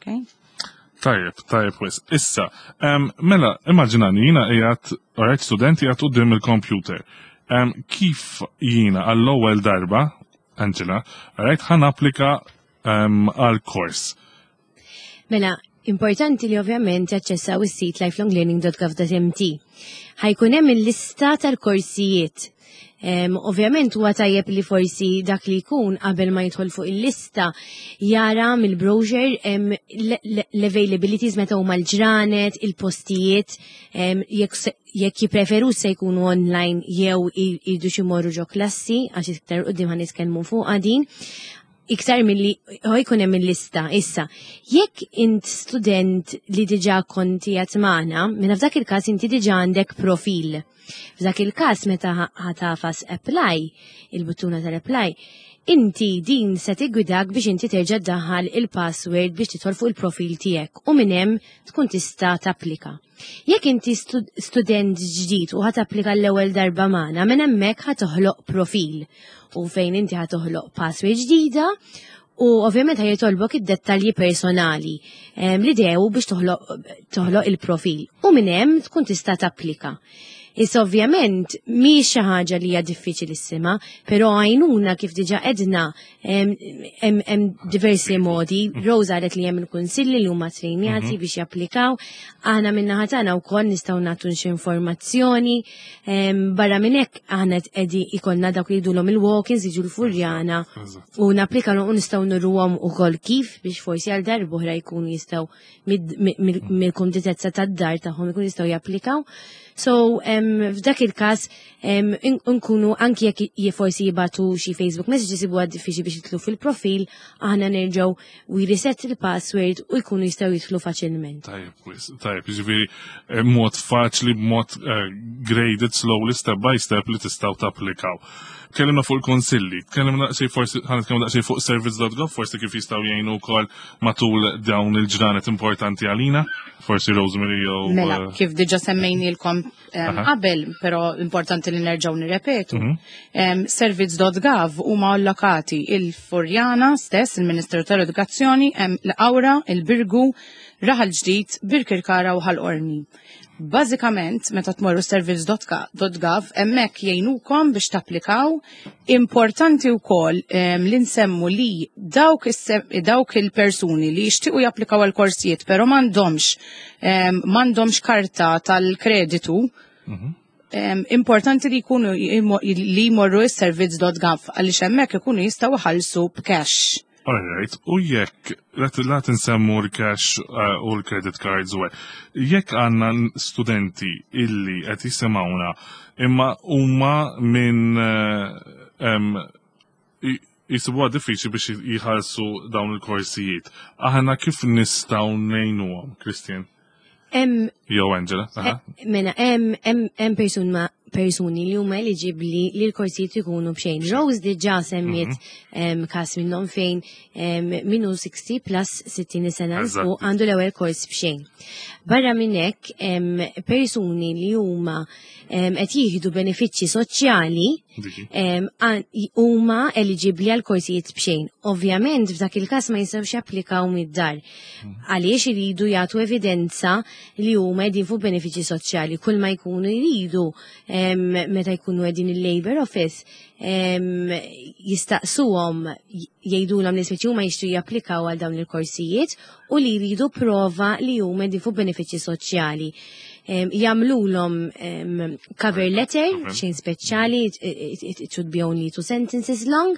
Okay? Tajjeb, tajjeb wis. Issa, um, mela, immaġinani, jiena qiegħed, alright, student qiegħed quddiem il-computer. Um, kif jiena għall-ewwel darba, Angela, alright, ħa napplika um, għal-kors? Mela, importanti li ovvjament jaċċessaw is-sit lifelonglearning dot gov dot M T. Ħa jkun hemm il-lista tal-korsijiet. Um, ovvjament huwa tajjeb li forsi dak li jkun qabel ma jidħol fuq il-lista jara mill-brochure um, l-availabilities meta huma l-ġranet, il-postijiet, um, jekk se- jekk jippreferu se jkunu online jew jridu xi jmorru ġo klassi, għax iktar quddiem ħa nitkellmu fuq din iktar milli ħa jkun hemm il-lista. Issa, jekk int student li diġà konti qiegħed magħna, minn f'dak il-każ inti diġà għandek profil. F'dak il-każ meta ħa tagħfas apply, il-buttuna tal-apply, inti din se tiggwidak biex inti terġa' ddaħħal il-password biex tidħol fuq il-profil tiegħek u minn hemm tkun tista' tapplika. Jekk inti student ġdid u ħa tapplika l-ewwel darba magħna, minn hemmhekk ħa toħloq profil u fejn inti ħa toħloq password ġdida u ovvjament ħa jitolbok id-dettalji personali li dew biex toħloq il-profil u minn hemm tkun tista' tapplika. Issa ovvjament mhix xi ħaġa li hija diffiċilissima, però għajnuna, kif diġà għedna, hemm diversi modi. Rosa qalet li hemm il-kunsilli li huma trejnjati mhm. biex japplikaw. Aħna min-naħa tagħna wkoll nistgħu nagħtu xi informazzjoni. Barra minn hekk aħna qegħdi ikollna dawk li jgħidulhom il-walk-ins, jiġu l-Furjana u napplikaw u nistgħu nuruhom ukoll kif biex forsi għal darb'oħra jkunu jistgħu mill-kumditezza tad-dar tagħhom jkunu jistgħu japplikaw. So em, f'dak il-każ em, in- nkunu anki jekk j- forsi jibagħtu xi Facebook message isibuha diffiċli biex jidħlu fil-profil, aħna nerġgħu we reset il-password u jkunu jistgħu jidħlu faċilment. Tajjeb, wis, tajjeb, ġifieri, eh, mod faċli, mod eh, graded, slowly, step by step li tistgħu tapplikaw. Tkellimna fuq il-konsilli, tkellimna daqsxejn forsi, ħa nitkellmu daqsxejn fuq service dot gov, forsi kif jistgħu jgħinu wkoll matul dawn il-ġranet importanti għalina, forsi Rosemary jew Mela, eh, kif diġa semmejnilkom um, Aha. qabel, pero importanti li nerġgħu nirrepetu. Mhm. Um, Service dot gov huma allokati il-Furjana stess, il-Ministeru tal-Edukazzjoni, hemm l-Qawra, il-Birgu, Raħal Ġdid, Birkirkara u Ħal Qormi. Bażikament, meta tmorru service dot gov, hemmhekk jgħinukom biex tapplikaw. Importanti wkoll um, li nsemmu li dawk, is- dawk il-persuni li jixtiequ japplikaw għal korsijiet, però m'għandhomx um, m'għandhomx karta tal-kreditu, um, importanti li jkunu li jmorru is-service dot gov għaliex hemmhekk ikunu jistgħu jħallsu b'cash. All right, u jekk, la nsemmu l-cash uh, u l-credit cards u hekk, jekk għandna studenti illi qed jisimgħuna imma huma minn uh, em, i- jisibuha diffiċli biex jħallsu dawn il-korsijiet. Aħna kif nistgħu ngħinuhom, Christian? Hemm Jew Angela? Aha. Mela, hemm hemm hemm persuna persuni li huma eliġibbli li l-korsijiet ikunu b'xejn. Rose diġà semmiet em, każ minnhom fejn em, minnu sixty plus, sittin sena 'l fuq Eżatt. għandu l-ewwel kors b'xejn. Barra minn hekk em, persuni li huma em, qed jieħdu benefiċċji soċjali Diki. em, għan- huma eliġibbli għal korsijiet b'xejn. Ovvjament f'dak il-każ ma jistgħux japplikaw mid-dar. Għaliex iridu jagħtu evidenza li huma qegħdin fuq benefiċċji soċjali. Kull ma jkunu jridu em, meta jkunu qegħdin il-Labor Office em, jistaqsuhom, jgħidulhom li speċi huma jixtiequ japplikaw għal dawn il-korsijiet u li jridu prova li huma qegħdin fuq benefiċċji soċjali. Em, Jagħmlulhom em, cover letter, Okay. xejn speċjali, it, it, it, it should be only two sentences long,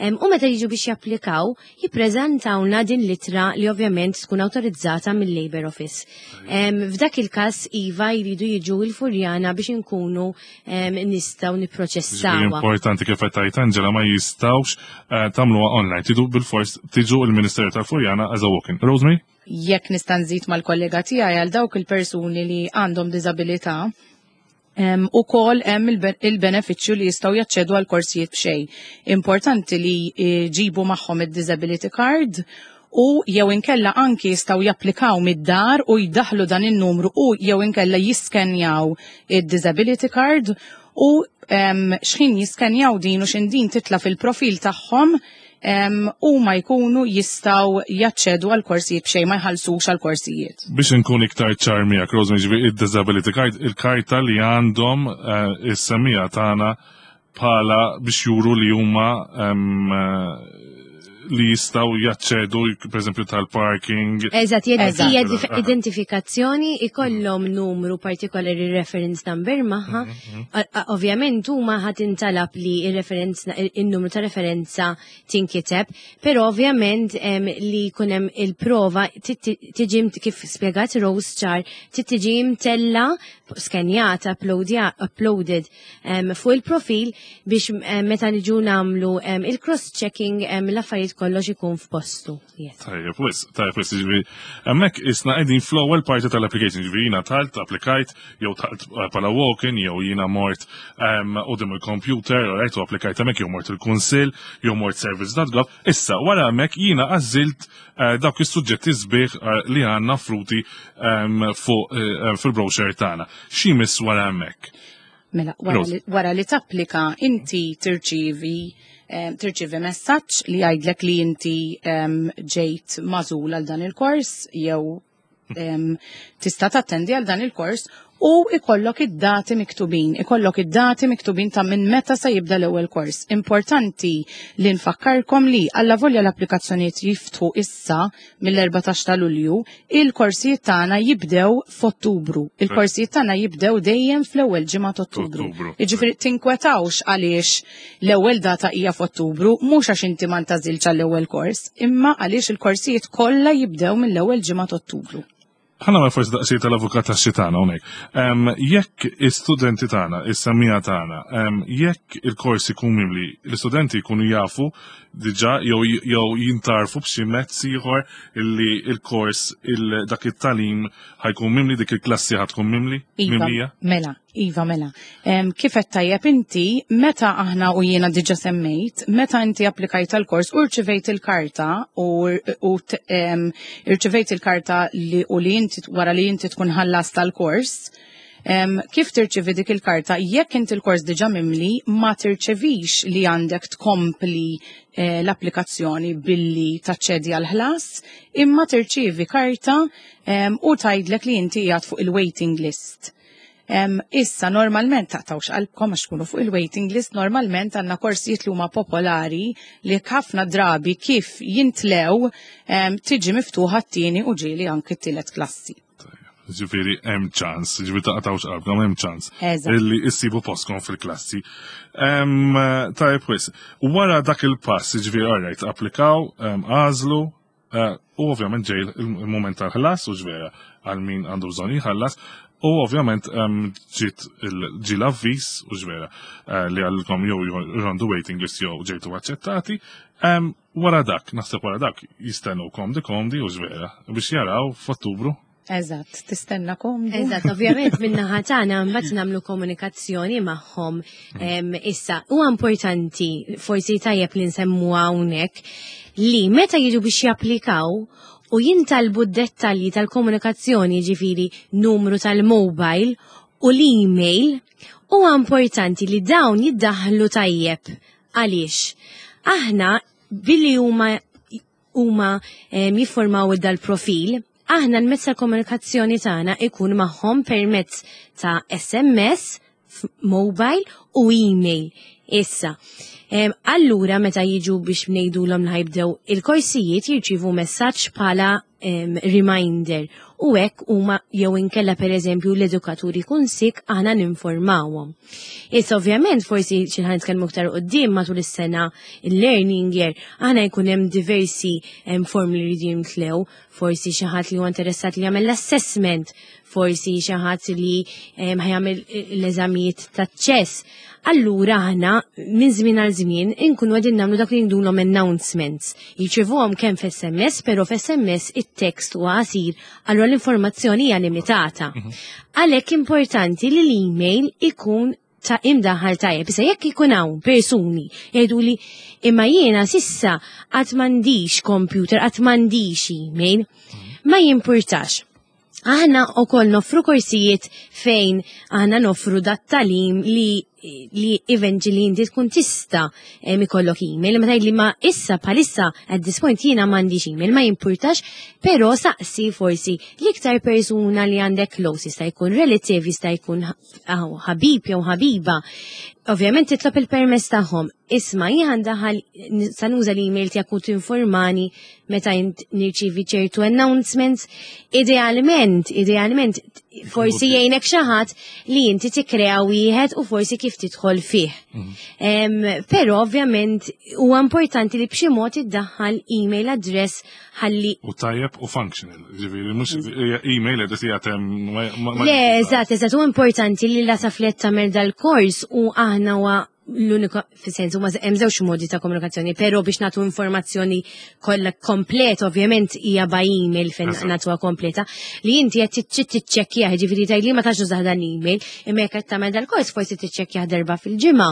um, u meta jiġu biex japplikaw, jippreżentawna din l-ittra li ovvjament tkun awtorizzata mill-Labor Office. Um, F'dak il-każ iva jridu jiġu il-Furjana biex inkunu um, nistgħu Ġifieri nipproċessawha. importanti kif qed tgħid Angela, ma jistgħux eh, tagħmluha online. Tridu bil-fors tiġu il-Ministeru tal-Furjana as a walk-in. Rosemary? Jekk nista' nżid mal-kollega tiegħi, għal dawk il-persuni li għandhom diżabilità, um, ukoll hemm il-be- il-benefiċċju li jistgħu jaċċedu għal korsijiet b'xejn. Importanti li jġibu magħhom id-disability card u jew inkella anki jistgħu japplikaw mid-dar u jdaħlu dan in-numru u jew inkella jiskenjaw id-disability card u um, xħin jiskenjaw din u x'ħin din titla fil-profil tagħhom um, u ma jkunu jistgħu jaċċedu għal korsijiet b'xejn, ma jħallsux għal korsijiet. Biex nkun iktar ċar miegħek, Rosemary, ġifieri id-disability card, il-karta li għandhom eh, is-semmiegħa tagħna bħala biex juru li huma em, eh, li jistgħu jaċċedu, per eżempju, tal-parking. Eżatt, Eżatt. hija dif- identifikazzjoni, ikollhom numru partikolari, reference number magħha. A- a- Ovvjament huma ħadd intalab li il-referenza, il-numru ta' referenza tinkiteb, però ovvjament em, li jkun hemm il-prova tit- tiġi mt- kif spjegat Rose ċar, tiġi mtella, skenjata, uploadja- uploaded em, fuq il-profil biex em, meta niġu nagħmlu em, il-cross-checking em, l-affarijiet kollox ikun f'postu. Yes. Tajjeb, wis, tajjeb, wis, ġifieri, hemmhekk isna qegħdin fl-ewwel parti tal-application, ġifieri jiena dħalt, applikajt, jew dħalt eh, bħala walk-in, jew jiena mort um, quddiem il-computer, right, u applikajt hemmhekk, jew mort il-kunsill, jew mort service dot gov. Issa, wara hemmhekk jiena għażilt eh, dawk is-suġġetti sbieħ eh, li għandna offruti um, fuq eh, fil-brochure tagħna. X'imiss wara hemmhekk? Mela, wara Rose. li, wara li tapplika, inti tirċivi em, tirċivi messaġġ li jgħidlek li inti em, ġejt magħżul għal dan il-kors jew em, tista' tattendi għal dan il-kors u ikollok id-dati miktubin, ikollok id-dati miktubin ta' minn meta se jibda l-ewwel kors. Importanti li nfakkarkom li alla volja l-applikazzjonijiet jiftħu issa mill-erbatax ta' Lulju, il-korsijiet tagħna jibdew f'Ottubru. Il-korsijiet tagħna jibdew dejjem fl-ewwel ġimgħa ta' Ottubru. Ottubru. Jiġifieri tinkwetawx għaliex l-ewwel data hija f'Ottubru, mhux għax inti ma ntgħażilx għall-ewwel kors, imma għaliex il-korsijiet kollha jibdew mill-ewwel ġimgħa ta' Ottubru. Ħa nagħmel forsi daqsxejn tal-avukat tax-xitan hawnhekk. Em, Jekk is-studenti tagħna, is-semmiegħa tagħna, em, jekk il-kors ikun mimli, l-istudenti jkunu jafu diġà jew jew jintarfu b'xi mezz ieħor illi il-kors il dak it-tagħlim ħa jkun mimli, dik il-klassi ħa tkun mimli? Iva, Mimlija? Mela, iva, mela. Em, kif qed tajjeb inti, meta aħna u jiena diġa semmejt, meta inti applikajt għal-kors u rċivejt il-karta u, u t- em, irċivejt il-karta li u li inti wara li inti tkun ħallast tal-kors, em, kif tirċivi dik il-karta, jekk inti il-kors diġa mimli, ma tirċevix li għandek tkompli eh, l-applikazzjoni billi taċċedi għal-ħlas, imma tirċivi karta em, u tgħidlek li inti qiegħed fuq il-waiting list. Em, issa normalment taqtawx qalbkom għax tkunu fuq il-waiting list, normalment għandna korsijiet li huma popolari li ħafna drabi kif jintlew em, tiġi miftuħa t-tieni u ġieli anki t-tielet klassi. Ġifieri hemm ċans, ġifieri taqtawx qalbkom hemm ċans. Eżatt. Illi issibu postkom fil-klassi. Em, Tajb wis, wara dak il-pass, ġifieri alright, applikaw, em, għażlu, eh, u ovvjament ġej il-moment tal-ħlas u ġvera għal min għandu bżonn jħallas, u ovvjament em, ġiet il- ġi l-avviż u ġvera eh, li għalkom jew you're on the waiting list jew ġejtu aċċettati. Em, Wara dak, naħseb wara dak, jistennu komdi komdi u ġvera biex jaraw f'Ottubru. Eżatt, tistenna komdu. Eżatt, ovvjament min-naħa tagħna mbagħad nagħmlu komunikazzjoni magħhom. Em, Issa, huwa importanti, forsi tajjeb li nsemmu hawnhekk, li meta jiġu biex japplikaw u jintalbu d-dettalji tal-komunikazzjoni, ġifieri numru tal-mobile u l-email, huwa importanti li dawn jiddaħlu tajjeb. Għaliex? Aħna billi huma huma em, jiffurmaw dal-profil, aħna l-mezz tal-komunikazzjoni tagħna ikun magħhom permezz ta' S M S, f- mobile u email. Issa, em, allura meta jiġu biex ngħidulhom li ħa jibdew il-korsijiet, jirċivu messaġġ bħala em, reminder u hekk huma jew inkella, pereżempju, l-edukaturi jkun sick, aħna ninformawhom. Issa, ovvjament, forsi xi ħa nitkellmu aktar quddiem matul is-sena, il-learning year, aħna jkun hemm diversi em, form li jridu jimtlew, forsi xi ħadd li huwa interessat li jagħmel l-assessment, forsi xi ħadd li em, ħa jagħmel l-eżamijiet taċ-ċess. Allura aħna minn żmien għal żmien inkunu qegħdin nagħmlu dak li ngħidulhom announcements. Jirċevuhom kemm f'S M S, però f'S M S it-text huwa qasir, allura l-informazzjoni hija limitata. Għalhekk importanti li l-email ikun ta' imdaħal tajjeb. Issa, jekk ikun hawn persuni jgħidu li imma jiena s'issa qatt m'għandix computer, qatt m'għandix email, ma jimpurtax. Aħna ukoll noffru korsijiet fejn aħna noffru dat-tagħlim li li eventually inti tkun tista' em, ikollok email, ma tgħid li ma issa bħalissa at this point jiena m'għandix email, ma jimpurtax, però saqsi forsi l-iktar persuna li għandek close, jista' jkun relative, jista' jkun ħabib jew ħabiba. Ovvjament titlob il-permess tagħhom. Isma', jien daħal sa nuża l-email tiegħek u tinformani meta int nirċivi ċertu announcements. Idealment, idealment forsi jgħinek xi ħadd li inti tikkrea wieħed u forsi kif tidħol fih. Em, Però ovvjament huwa importanti li b'xi mod iddaħħal email address ħalli U tajjeb u functional. Ġifieri, mhux email address jgħatem. Le, eżatt, eżatt, u importanti li la taflet tagħmel dal-kors u aħna huwa l-unika, fis-sens huma hemm żewġ modi ta' komunikazzjoni, però biex nagħtu informazzjoni kollha komplet, ovvjament hija by email fejn Eżatt. nagħtuha kompleta, li inti qed tiċċekkjah, ġifieri tgħid li ma tax użah dan l-email, imma jekk qed tagħmel dal-kors forsi tiċċekkjah darba fil-ġimgħa,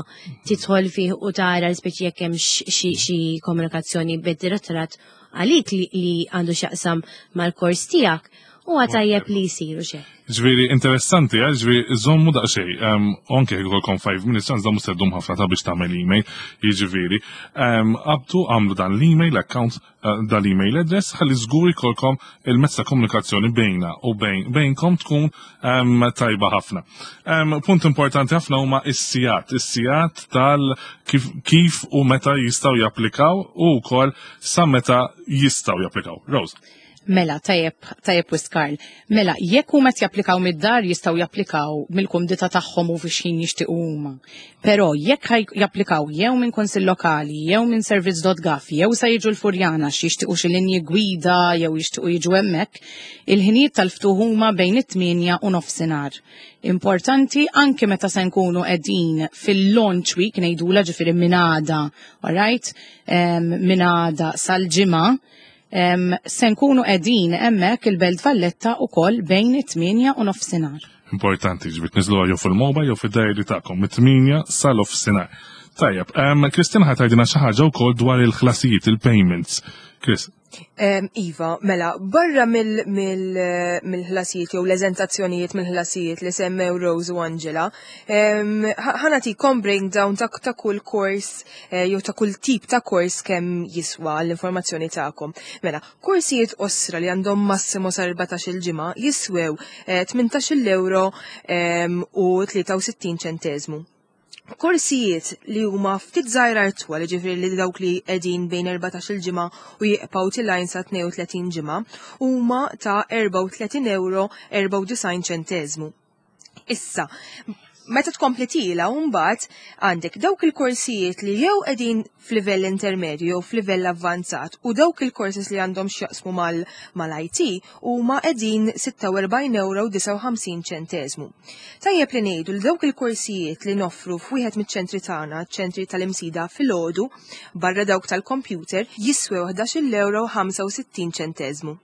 tidħol fih u tara l-speċi jekk hemm xi xi komunikazzjoni bid-direttorat għalik li, li għandu x'jaqsam mal-kors tiegħek, huwa tajjeb li jsiru xejn. Ġifieri, interessanti, eh, ġifieri, żommu daqxej, um, anke jkollkom five minutes, għax da mhux se ddum ħafna ta' biex tagħmel email, jiġifieri. Um, abdu għamlu dan l-email account, uh, dan l-email address, ħalli żgur jkollkom il-mezz ta' komunikazzjoni bejna u bejn bejnkom tkun um, tajba ħafna. Um, punt importanti ħafna huma is-sigħat, is-sigħat tal kif, kif u meta jistgħu japplikaw u wkoll sa meta jistgħu japplikaw. Rose. Mela, tajjeb, tajjeb wisq, Karl. Mela, jekk huma qed japplikaw mid-dar jistgħu japplikaw mill-kumdità tagħhom u fi x'ħin jixtiequ huma. Però jekk ħaj japplikaw jew minn kunsill lokali, jew minn servizz punt gov, jew sa jiġu l-Furjana xi jixtiequ xi linji gwida jew jixtiequ jiġu hemmhekk, il-ħinijiet tal-ftuħ huma bejn it-tmienja u nofsinhar. Importanti, anke meta se nkunu qegħdin fil-launch week ngħidula, ġifieri minn għada, alright? Um, minn għada sal-Ġimgħa, um, se nkunu qegħdin hemmhekk il-Belt Valletta ukoll bejn it-tmienja u nofsinhar. Importanti, ġifieri tniżżluha jew fil-mobile jew fid-diary tagħkom mit-tmienja sal-nofsinhar. Tajjeb, um, Kristina ħa tgħidilna xi ħaġa wkoll dwar il-ħlasijiet, il-payments. Chris. Em, Iva, mela, barra mill-ħlasijiet jew l-eżentazzjonijiet mill-ħlasijiet li semmew Rose u Angela, em, ħa ħa nagħtikom breakdown ta' ta' kull kors eh, jew ta' kull tip ta' kors kemm jiswa l-informazzjoni tagħkom. Mela, korsijiet qosra li għandhom massimo sa erbatax-il ġimgħa jiswew eh, tmintax-il euro em, u tlieta u sittin ċentesmu. Korsijiet li huma ftit żgħira twal, ġifieri li dawk li qegħdin bejn erbatax-il ġimgħa u jibqgħu telgħin sa tnejn u tletin ġimgħa, huma ta' erbgħa u tletin euro erbgħa u disgħin ċentesmu. Issa, meta tkompli tiela' mbagħad għandek dawk il-korsijiet li jew qegħdin f'livell intermedju jew f'livell avvanzat u dawk il-courses li għandhom x'jaqsmu mal-I T huma qegħdin sitta u erbgħin euro disgħa u ħamsin ċentesmu. Tajjeb li ngħidu li dawk il-korsijiet li noffru f'wieħed miċ-ċentri tagħna, ċentri tal-Imsida filgħodu, barra dawk tal-computer, jiswew ħdax-il euro ħamsa u sittin ċentesmu.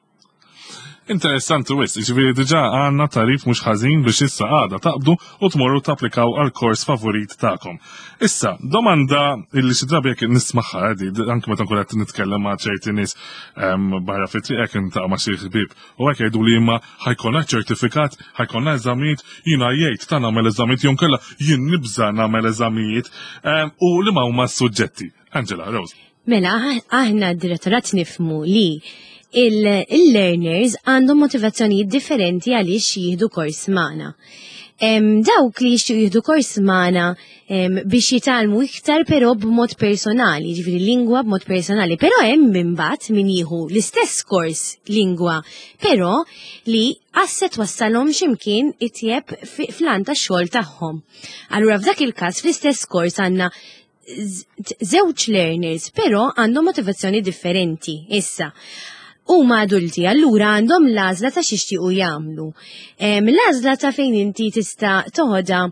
Interessanti wisq, ġifieri diġà għandna tarif mhux ħażin biex issa għada taqbdu u tmorru tapplikaw għal kors favorit tagħkom. Issa, domanda illi xi drabi jekk nismagħha di, anke meta nkun qed nitkellem ma' ċerti nies em, barra fit-triq, hekk niltaqa' ma' xi ħbieb u hekk jgħidu li imma ħa jkollna ċertifikat, ħa jkollna eżamijiet, jiena jgħid ta' nagħmel eżamijiet jew nkella jien nibża' nagħmel eżamijiet em, u li ma huma s-suġġetti. Angela, Rose. Mela, aħna d-direttorat nifhmu li il-learners għandhom motivazzjonijiet differenti għaliex jieħdu kors magħna. Em, dawk li jixtiequ jieħdu kors magħna em, biex jitgħallmu iktar, però b'mod personali, ġifieri lingwa b'mod personali, però hemm imbagħad min jieħu l-istess kors lingwa, però li għax se twassalhom x'imkien itjeb fi- fl-għan tax-xogħol tagħhom. Allura f'dak il-każ fl-istess kors għandna żewġ learners, però għandhom motivazzjoni differenti. Issa, huma adulti, allura għandhom l-għażla ta' x'jixtiequ jagħmlu. Em, L-għażla ta' fejn inti tista' toħodha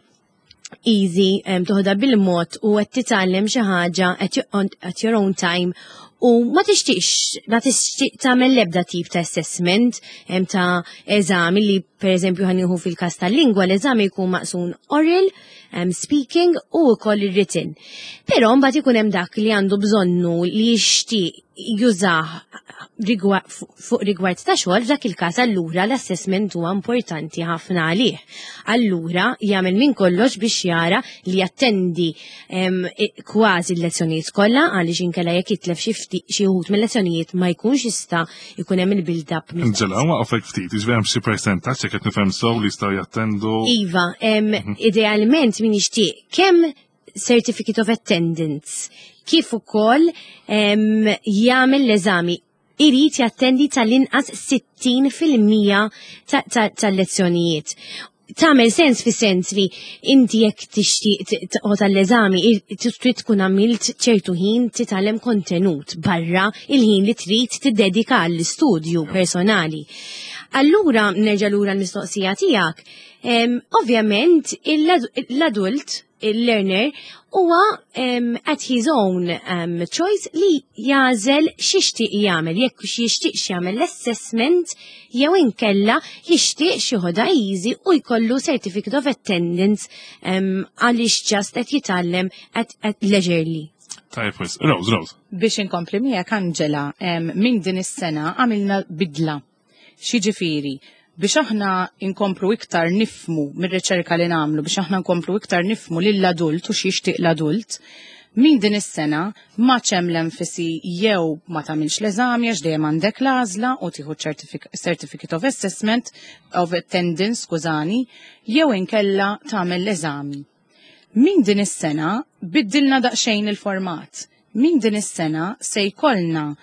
easy, em, toħodha bil-mod u qed titgħallem xi ħaġa at your, on- at your own time u ma tixtieqx ma tixtieq tagħmel l-ebda tip ta' assessment em, ta' eżami li, per eżempju, ħa nieħu fil-każ tal-lingwa, l-eżami jkun maqsum oral, um, speaking u wkoll written. Però mbagħad ikun hemm dak li għandu bżonnu li jixtieq jużah rigwa- fuq rigward ta' xogħol. F'dak il-każ allura l-assessment huwa importanti ħafna għalih. Allura jagħmel minn kollox biex jara li jattendi em, i- kważi l-lezzjonijiet kollha, għaliex inkella jekk jitlef xi ftit xi wħud mill-lezzjonijiet ma jkunx jista' jkun hemm il-build-up. Angela, waqfek ftit, ġifieri hemm xi percentaġġ jekk qed nifhem sew li jistgħu jattendu? Iva, em, idealment min jixtieq kemm certificate of attendance kif ukoll em, jagħmel l-eżami irid jattendi tal-inqas sittin fil-mija ta- ta- tal-lezzjonijiet. Tagħmel sens fi sens li inti jekk tixtieq toqgħod għall-eżami trid tkun għamilt ċertu ħin titgħallem kontenut barra il-ħin li trid tiddedika għall-istudju personali. Allura nerġa' lura l-mistoqsija tiegħek. Em, Ovvjament l-adult, il-learner, huwa um, at his own um, choice li jagħżel x'jixtieq jagħmel, jekk jixtieq jagħmel l-assessment jew inkella jixtieq joħodha easy u jkollu certificate of attendance um, għaliex just qed jitgħallem at, at leisurely. Tajjeb, wisq. Rose, Rose. Biex inkompli miegħek, Angela, em, minn din is-sena għamilna bidla. X'jiġifieri, biex aħna inkomplu iktar nifhmu mir-riċerka li nagħmlu, biex aħna nkomplu iktar nifhmu lill-adult u x'jixtieq l-adult, minn din is-sena ma hemm l-enfasi jew ma tagħmilx l-eżami, għax dejjem għandek l-għażla u tieħu certific- certificate of assessment of attendance, skużani, jew inkella tagħmel l-eżami. Min din is-sena biddilna daqsxejn il-format. Min din is-sena se jkollna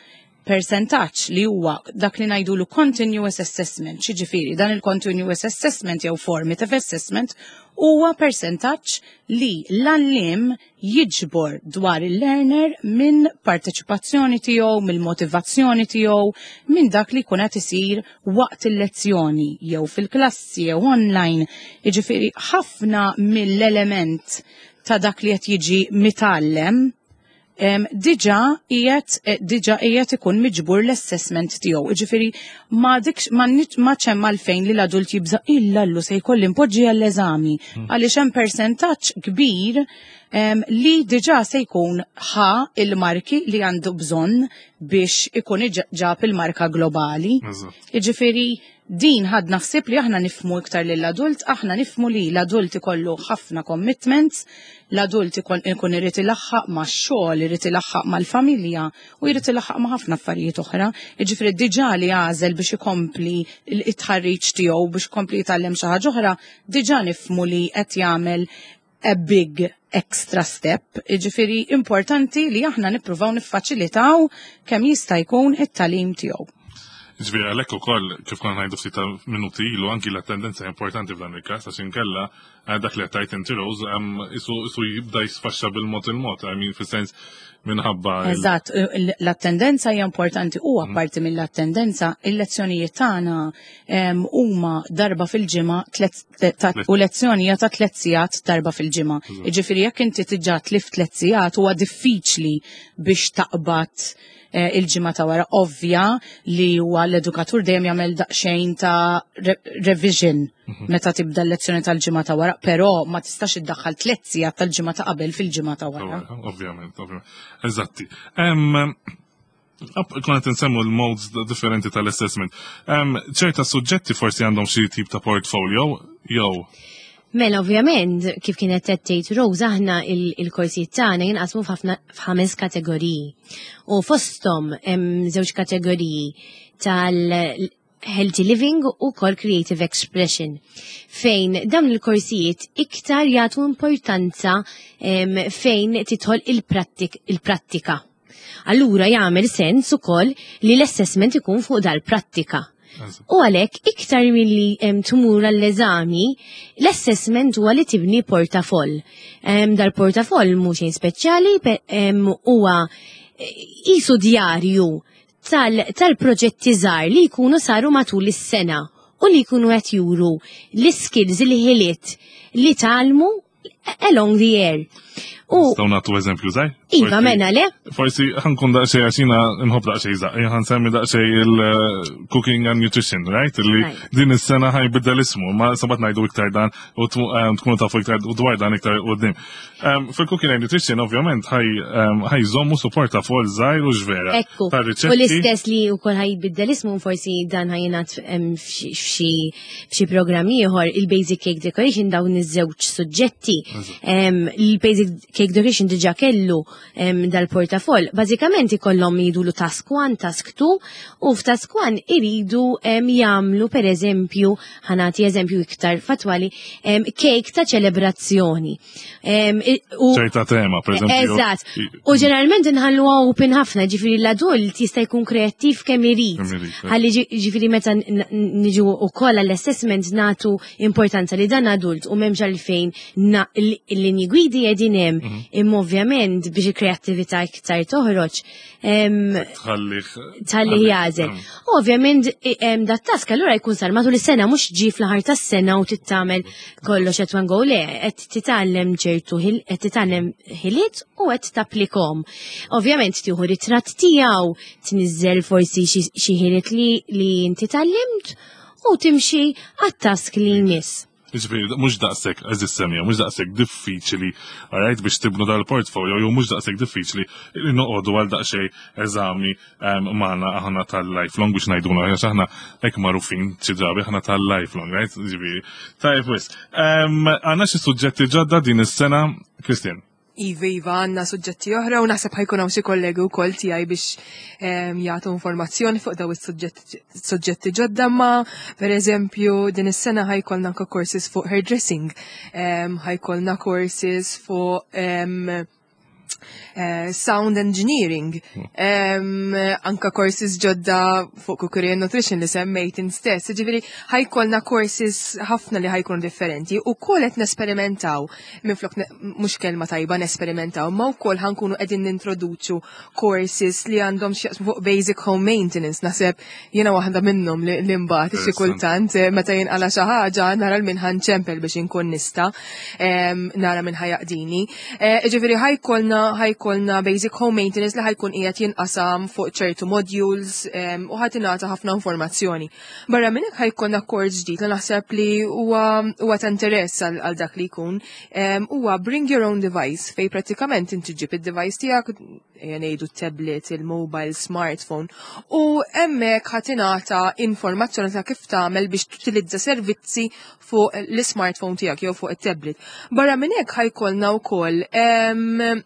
Percentaġġ li huwa dak li ngħidulu continuous assessment. Xiġifieri dan il-continuous assessment jew formative assessment huwa percentaġġ li l-għalliem jiġbor dwar il-learner minn parteċipazzjoni tiegħu, mill-motivazzjoni tiegħu, minn dak li jkun qed isir waqt il-lezzjoni jew fil-klassi jew online. Jiġifieri ħafna mill-element ta' dak li qed jiġi mitgħallem em, diġà qiegħed eh, diġà qiegħed ikun miġbur l-assessment tiegħu. Jiġifieri ma dikx ma nit- ma ċemm għalfejn li l-adult jibża illallu se jkolli npoġġi għall-eżami għaliex hemm percentaġġ kbir em, li diġà se jkun ħa il-marki li għandu bżonn biex ikun iġ- ġab il-marka globali. Eżatt. Jiġifieri din ħadna ħsieb li aħna nifhmu iktar lill-adult, aħna nifhmu li l-adult ikollu ħafna commitments, l-adult ikun ikun irid ilaħħaq max-xogħol, irid ilaħħaq mal-familja u jrid ilaħħaq ma' ħafna affarijiet oħra. Jiġifieri diġà li għażel biex ikompli it-tħarriġ tiegħu biex ikompli jitgħallem xi ħaġa oħra, diġà nifhmu li qed jagħmel a big extra step. Jiġifieri importanti li aħna nippruvaw niffaċilitaw kemm jista' jkun it-tagħlim tiegħu. Ġifieri, għalhekk ukoll, kif konna ngħidu ftit ta' minuti ilu, anki l-attendenza importanti f'dan il-każ, għax inkella eh, dak li qed inti, Rose, em, isu isu jibda jisfaxxa bil-mod il-mod, I mean, fis-sens minħabba il- Eżatt, l-attendenza hija importanti u apparti mill-attendenza, il-lezzjonijiet tagħna em, huma darba fil-ġimgħa tlet- ta- u lezzjoni hija ta' tliet sigħat darba fil-ġimgħa. Jiġifieri jekk inti diġà tlift tliet sigħat, huwa diffiċli biex taqbad eh, il-ġimgħa ta' wara. Ovvja li huwa l-edukatur dejjem jagħmel daqsxejn ta' re revision meta tibda l-lezzjoni tal-ġimgħa ta' wara, però ma tistax iddaħħal tliet sigħat tal-ġimgħa ta' qabel fil-ġimgħa ta' wara. Ovvjament, ovvjament. Eżatti. Em, Konna qed nsemmu l-modes differenti tal-assessment. Em, ċerta suġġetti forsi għandhom xi tip ta' portfolio, jew? Mela, ovvjament, kif kienet qed tgħid Rose, aħna il- il-korsijiet tagħna jinqasmu f'ħafna f'ħames kategoriji. U fosthom hemm żewġ kategoriji tal healthy living u kol creative expression, fejn dawn il-korsijiet iktar jagħtu importanza em, fejn tidħol il-prattik- il-prattika. Allura jagħmel sens ukoll li l-assessment ikun fuq dal-prattika. U għalhekk iktar milli em, tmur għall-eżami, l-assessment huwa li tibni portafoll. Em, Dal-portafoll mhux xejn speċjali, pe- em, huwa eh, isu djarju tal- tal-proġetti żgħar li jkunu saru matul is-sena u li jkunu qed juru l-skills, il-ħiliet li tgħallmu along the year. U Nistgħu nagħtu eżempju żgħir? Iva, mena le? Forsi ħa nkun daqsxejn għaxina nħobb daqsxejn żgħar, ħa nsemmi daqsxejn il-cooking and nutrition, right? Li Right. din is-sena ħa jbiddel ismu, ma sabat ngħidu iktar dan u tmu- em, tkunu tafu iktar u dwar dan iktar quddiem. Em, Fil-cooking and nutrition, ovvjament, ħa em, ħa jżommu su portafoll żgħir u ġvera. Ekku, Ta' u riċetti. l-istess li wkoll ħa jbiddel ismu, forsi dan ħa jingħad em, f'xi f'xi programm ieħor, il-Basic Cake Decoration, dawn iż-żewġ suġġetti. Em, Il-Basic Cake Decoration diġà kellu em, dal-portafoll. Bażikament ikollhom jidulu task one, task two, u f'task one iridu em, jagħmlu, per eżempju, ħa nagħti eżempju iktar fatwali, em, cake ta' ċelebrazzjoni. Em, i- u- ċerta tema, per eżempju. Eżatt. U ġeneralment nħallu open ħafna, ġifieri l-adult jista' jkun kreattiv kemm irid. Kemm irid, eh. Ħalli ġi- ġifieri meta n- n- niġu wkoll għall-assessment nagħtu importanza li dan adult u m'hemmx għalfejn na- l- il-linji gwidi qegħdin hemm, Mhm. imma ovvjament biex il-kreattività iktar toħroġ em, Tħallih. tal-li jagħżel. U ovvjament i- em, dat task allura jkun sar matul is-sena, mhux ġi fl-aħħar tas-sena u tittamel kollox at one go. Le, qed titgħallem ċertu ħil- qed titgħallem ħiliet u qed tapplikhom. Ovvjament tieħu ritratt tiegħu, tniżżel forsi xi xi ħiliet li li inti tgħallimt u timxi għat-task li jmiss. Ġifieri, mhux daqshekk, għeżież semmiegħa, mhux daqshekk diffiċli, alright, biex tibnu dal-portfolio, jew mhux daqshekk diffiċli li noqogħdu għal daqsxejn eżami em, magħna aħna tal-Lifelong biex ngħiduna, għax aħna hekk magħrufin xi drabi aħna tal-Lifelong, right? Ġifieri. Tajjeb wis. Em, Għandna xi suġġetti ġodda din is-sena, Christian? Iva, Iva, għandna suġġetti oħra u naħseb ħa jkun hawn xi kollegi wkoll tiegħi biex em, jagħtu informazzjoni fuq daw is-suġġetti suġġetti ġodda, ma per eżempju din is-sena ħa jkollna anke courses fuq hairdressing, em, ħa jkollna courses fuq em, eh, sound engineering, em, anka courses ġodda fuq cookery and nutrition li semmejt int stess. Ġifieri, ħa jkollna courses ħafna li ħa jkunu differenti u wkoll qed nesperimentaw, minflok ne- mhux kelma tajba nesperimentaw, ma wkoll ħa nkunu qegħdin nintroduċu courses li għandhom x'jaqsmu fuq basic home maintenance. Naħseb jiena waħda minnhom li, li mbagħad xi kultant eh, meta jinqala xi ħaġa nara 'l min ħa nċempel biex inkun nista' em, nara min ħa jaqdini. Eh, Ġifieri ħa jkollna ħa jkollna basic home maintenance li ħa jkun qiegħed jinqasam fuq ċertu modules em, u ħa tingħata ħafna informazzjoni. Barra minn hekk ħa jkollna kors ġdid li naħseb li huwa huwa ta' interess għal għal dak li jkun. Em, Huwa bring your own device, fej prattikament inti ġib id-device tiegħek, ejja ngħidu tablet, il-mobile, smartphone, u hemmhekk ħa tingħata informazzjoni ta' kif tagħmel biex tutilizza servizzi fuq l-smartphone tiegħek jew fuq it-tablet. Barra minn hekk ħa jkollna wkoll em,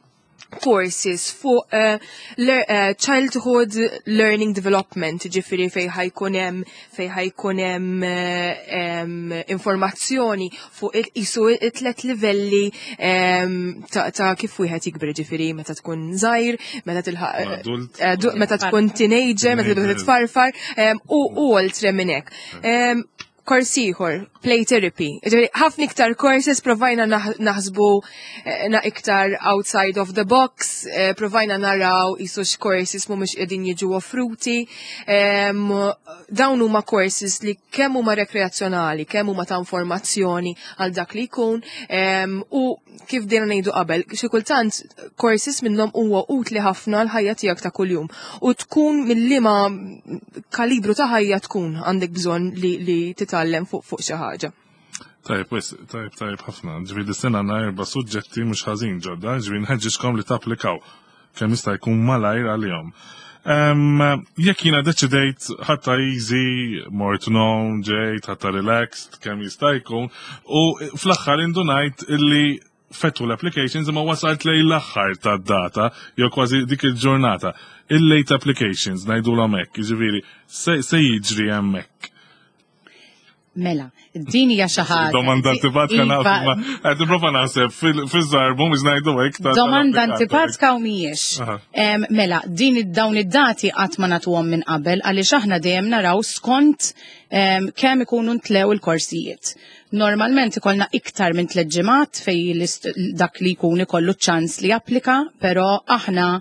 courses fuq uh, le- uh, childhood learning development, ġifieri fej ħa jkun hemm fej ħa jkun hemm eh, em, informazzjoni fuq il-qisu it-tlet livelli em, ta', ta' kif wieħed jikber, ġifieri meta tkun żgħir, meta tilħaq Adult. eh, du- meta tkun teenager, meta tibda titfarfar, em, u u oltre minn hekk. Em, Kors ieħor, play therapy. Ġifieri, ħafna iktar courses provajna naħ- naħsbu eh, na iktar outside of the box, eh, provajna naraw qisu x-courses mhumiex qegħdin jiġu offruti. Em, Dawn huma courses li kemm huma rekreazzjonali, kemm huma ta' informazzjoni għal dak li jkun, em, u kif dejna ngħidu qabel, xi kultant courses minnhom huwa utli ħafna l-ħajja tiegħek ta' kuljum. U tkun mill-liema kalibru ta' ħajja tkun għandek bżonn li, li titgħallem fuq fuq xi ħaġa. Tajb, wis, tajb, tajb ħafna. Ġifieri dis-sena għandna erba' suġġetti mhux ħażin ġodda, ġifieri nħeġġiġkom li tapplikaw kemm jista' jkun malajr għalihom. Um, jekk jiena deċidejt ħadtha easy, mort known, ġejt, ħadtha relaxed, kemm jista' jkun, u fl-aħħar indunajt illi fetħu l-applications imma wasalt lejn l-aħħar tad-data, jew kważi dik il-ġurnata. Il-late applications ngħidu hekk, ġifieri, se, se jiġri hemmhekk. Mela, din hija xi ħaġa. Domanda antipatika Iva, naf, ma qed nipprova naħseb fil-żarbu mhux ngħidu hekk. ta' Domanda tal-applikanti. antipatika u mhijiex. Aha. Em, Mela, din id- dawn id-dati qatt ma nagħtuhom minn qabel għaliex aħna dejjem naraw skont em, kemm ikunu ntlew il-korsijiet. Normalment ikollna iktar minn tliet ġimgħat fej l-ist- dak li jkun ikollu ċans li japplika, però aħna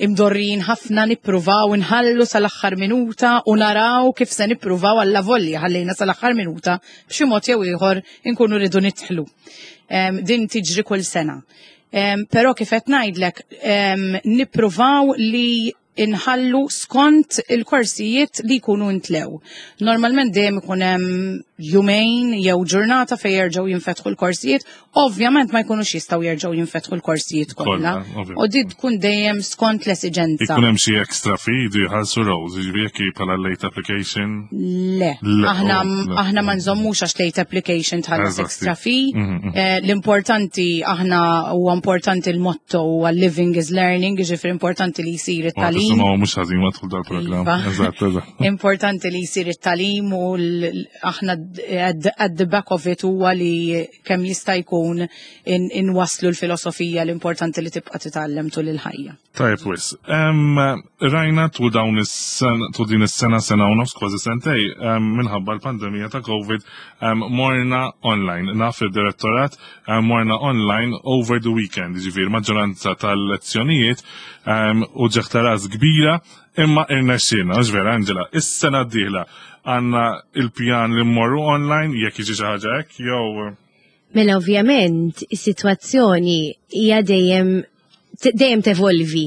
imdorrin ħafna nippruvaw nħallu sal-aħħar minuta u naraw kif se nippruvaw alla volja ħallejna sal-aħħar minuta b'xi mod jew ieħor inkunu rridu nidħlu. Em, din tiġri kull sena. Em, Però kif qed ngħidlek em, nippruvaw li inħallu skont il-korsijiet li jkunu intlew. Normalment dejjem ikun hemm jumejn jew ġurnata fejn jerġgħu jinfetħu l-korsijiet, ovvjament ma jkunux jistgħu jerġgħu jinfetħu l-korsijiet kollha. Kollha, ovvjament. U din tkun dejjem skont l-esiġenza. Ikun hemm xi extra fee jdu jħallsu Rose, jiġifieri jekk hi bħala late application. Le, Le, aħna oh, le. aħna ma nżommux għax late application tħallas Eżatti. extra fee. Mhm, mhm. Eh, L-importanti aħna huwa importanti l-motto huwa living is learning, jiġifieri importanti li jsir it-tagħlim. Tisimgħu mhux ħażin ma tħul dal-programm. Iva. Eżatt, eżatt. Importanti li jsir it-tagħlim u l- aħna at at the back of it huwa li kemm jista' jkun in- inwaslu l-filosofija l-importanti li tibqa' titgħallem tul il-ħajja. Tajb wis. Em, Rajna tul dawn is-sena, tul din is-sena sena u nofs kważi sentej, em, minħabba l-pandemija ta' Covid, em, morna online. Naf id-direttorat em, morna online over the weekend, ġifieri maġġoranza tal-lezzjonijiet em, u ġeħtaras kbira, imma irnexxielna, mhux vera Angela, is-sena d-dieħla għandna il-pjan li mmorru online, jekk jiġi xi ħaġa hekk, jew Mela ovvjament is-sitwazzjoni hija dejjem te- dejjem tevolvi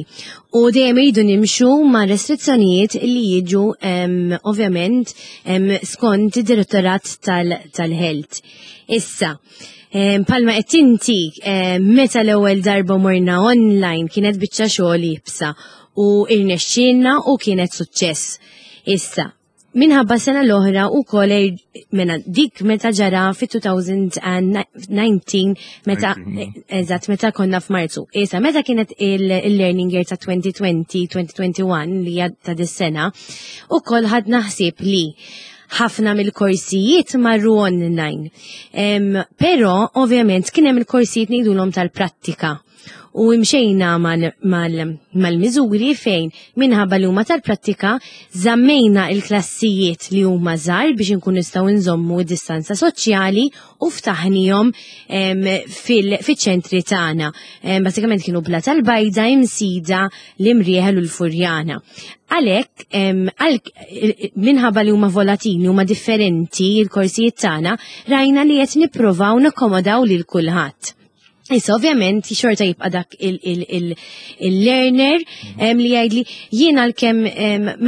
u dejjem iridu nimxu ma' restrizzjonijiet li jiġu em, ovvjament em, skont id-direttorat tal- tal-health. Issa, em, palma qed inti em, meta l-ewwel darba morna online kienet biċċa xogħol iebsa u irnexxielna u kienet suċċess. Issa, minħabba sena l-oħra u kol mena dik meta ġara fi elfejn u dsatax meta eżatt meta konna f'Marzu. Issa meta kienet il-learning year ta' elfejn u għoxrin-elfejn u wieħed u għoxrin li hija ta' dis-sena, ukoll ħadna ħsieb li ħafna mill-korsijiet marru online. Em, Però ovvjament kien hemm il-korsijiet ngħidulhom tal-prattika. U imxejna mal-miżuri fejn minħabba li huma tal-prattika żammejna il-klassijiet li huma żgħar biex inkun nistgħu nżommu distanza soċjali u ftaħnihom fil-ċentri tagħna. Basikament kienu Blata l-Bajda, Imsida, l-Imrieħel u l-Furjana. Għalhekk, minħabba li huma volatili, huma differenti il-korsijiet tagħna, rajna li qed nippruvaw nakkomodaw lil kulħadd. Issa ovvjament xorta jibqa' dak il-learner li jgħidli jiena l-kemm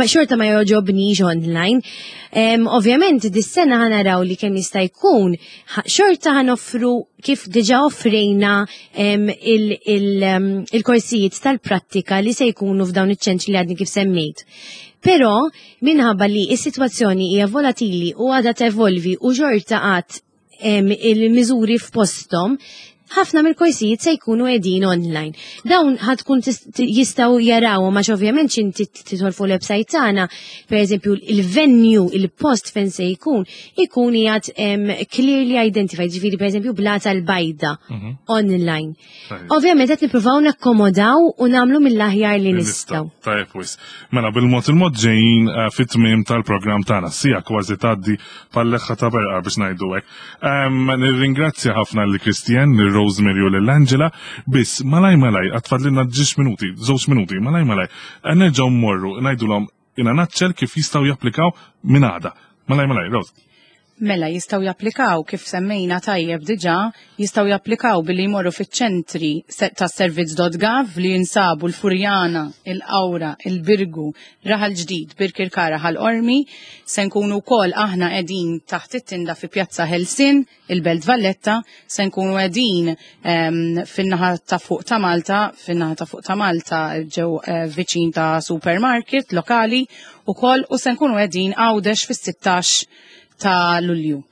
xorta ma jogħġobnix online. Ovvjament dis-sena ħa naraw li kemm jista' jkun xorta ħa noffru kif diġà offrejna il-korsijiet tal-prattika li se jkunu f'dawn iċ-ċentri li għadni kif semmejt. Però minħabba li s-sitwazzjoni hija volatili u għadha tevolvi u xorta għad il-miżuri f'posthom, ħafna mill-korsijiet se jkunu qegħdin online. Dawn ħa tkun jistgħu jaraw għax ovvjament x'inti tidħol fuq l-website tagħna, pereżempju il-venue, il-post fejn se jkun, ikun qiegħed clearly identified, ġifieri pereżempju Blata l-Bajda mhm. online. Ovvjament qed nippruvaw nakkomodaw u nagħmlu mill-aħjar li nistgħu. Tajjeb wisq. Mela bil-mod il-mod ġejjin eh, fit-tmiem tal-programm tagħna, siegħa kważi tgħaddi bħal-leħħa ta' berqa biex ngħidu hekk. Nirringrazzja ħafna lil Christian, lil Rosemary u lil Angela, biss malaj malaj, għad fadlilna ġiex minuti, żewġ minuti, malaj malaj, nerġgħu mmorru, ngħidulhom in a nutshell kif jistgħu japplikaw minn għada. Malaj malaj, Rose. Mela jistgħu japplikaw kif semmejna tajjeb diġà, jistgħu japplikaw billi jmorru fiċ-ċentri ta' servizz punt gov li jinsabu l-Furjana, il-Qawra, il-Birgu, Raħal Ġdid, Birkirkara, Ħal Qormi, se nkunu wkoll aħna qegħdin taħt it-tinda fi Pjazza Ħelsien, il-Belt Valletta, se nkunu qegħdin fin-naħa ta' fuq ta' Malta, fin-naħa ta' fuq ta' Malta ġew eh, viċin ta' supermarket lokali ukoll u se nkunu qegħdin Għawdex fis-sittax ta' Lulju.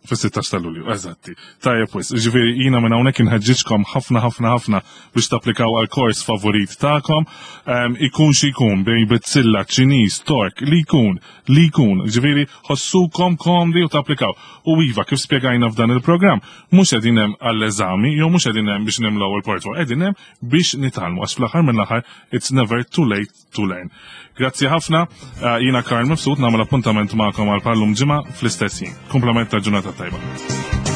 Fis-sittax ta' Lulju, eżatti. Tajjeb wisq, ġifieri jiena minn hawnhekk inħeġġiġkom ħafna ħafna ħafna biex tapplikaw għal kors favorit tagħkom. Ikun xi jkun bejn bizzilla, Ċiniż, Tork, li jkun, li jkun, ġifieri ħossukom komdi u tapplikaw. U iva, kif spjegajna f'dan il-programm, mhux qegħdin hemm għall-eżami jew mhux qegħdin hemm biex nimlew il-portfolio, qegħdin hemm biex nitgħallmu għax fl-aħħar mill-aħħar it's never too late to learn. Grazzi ħafna, eh, jiena Karl Mifsud nagħmel appuntament magħkom għal bħal-lum ġimgħa fl-istess ħin. Kumplament ta' ġurnata tajba.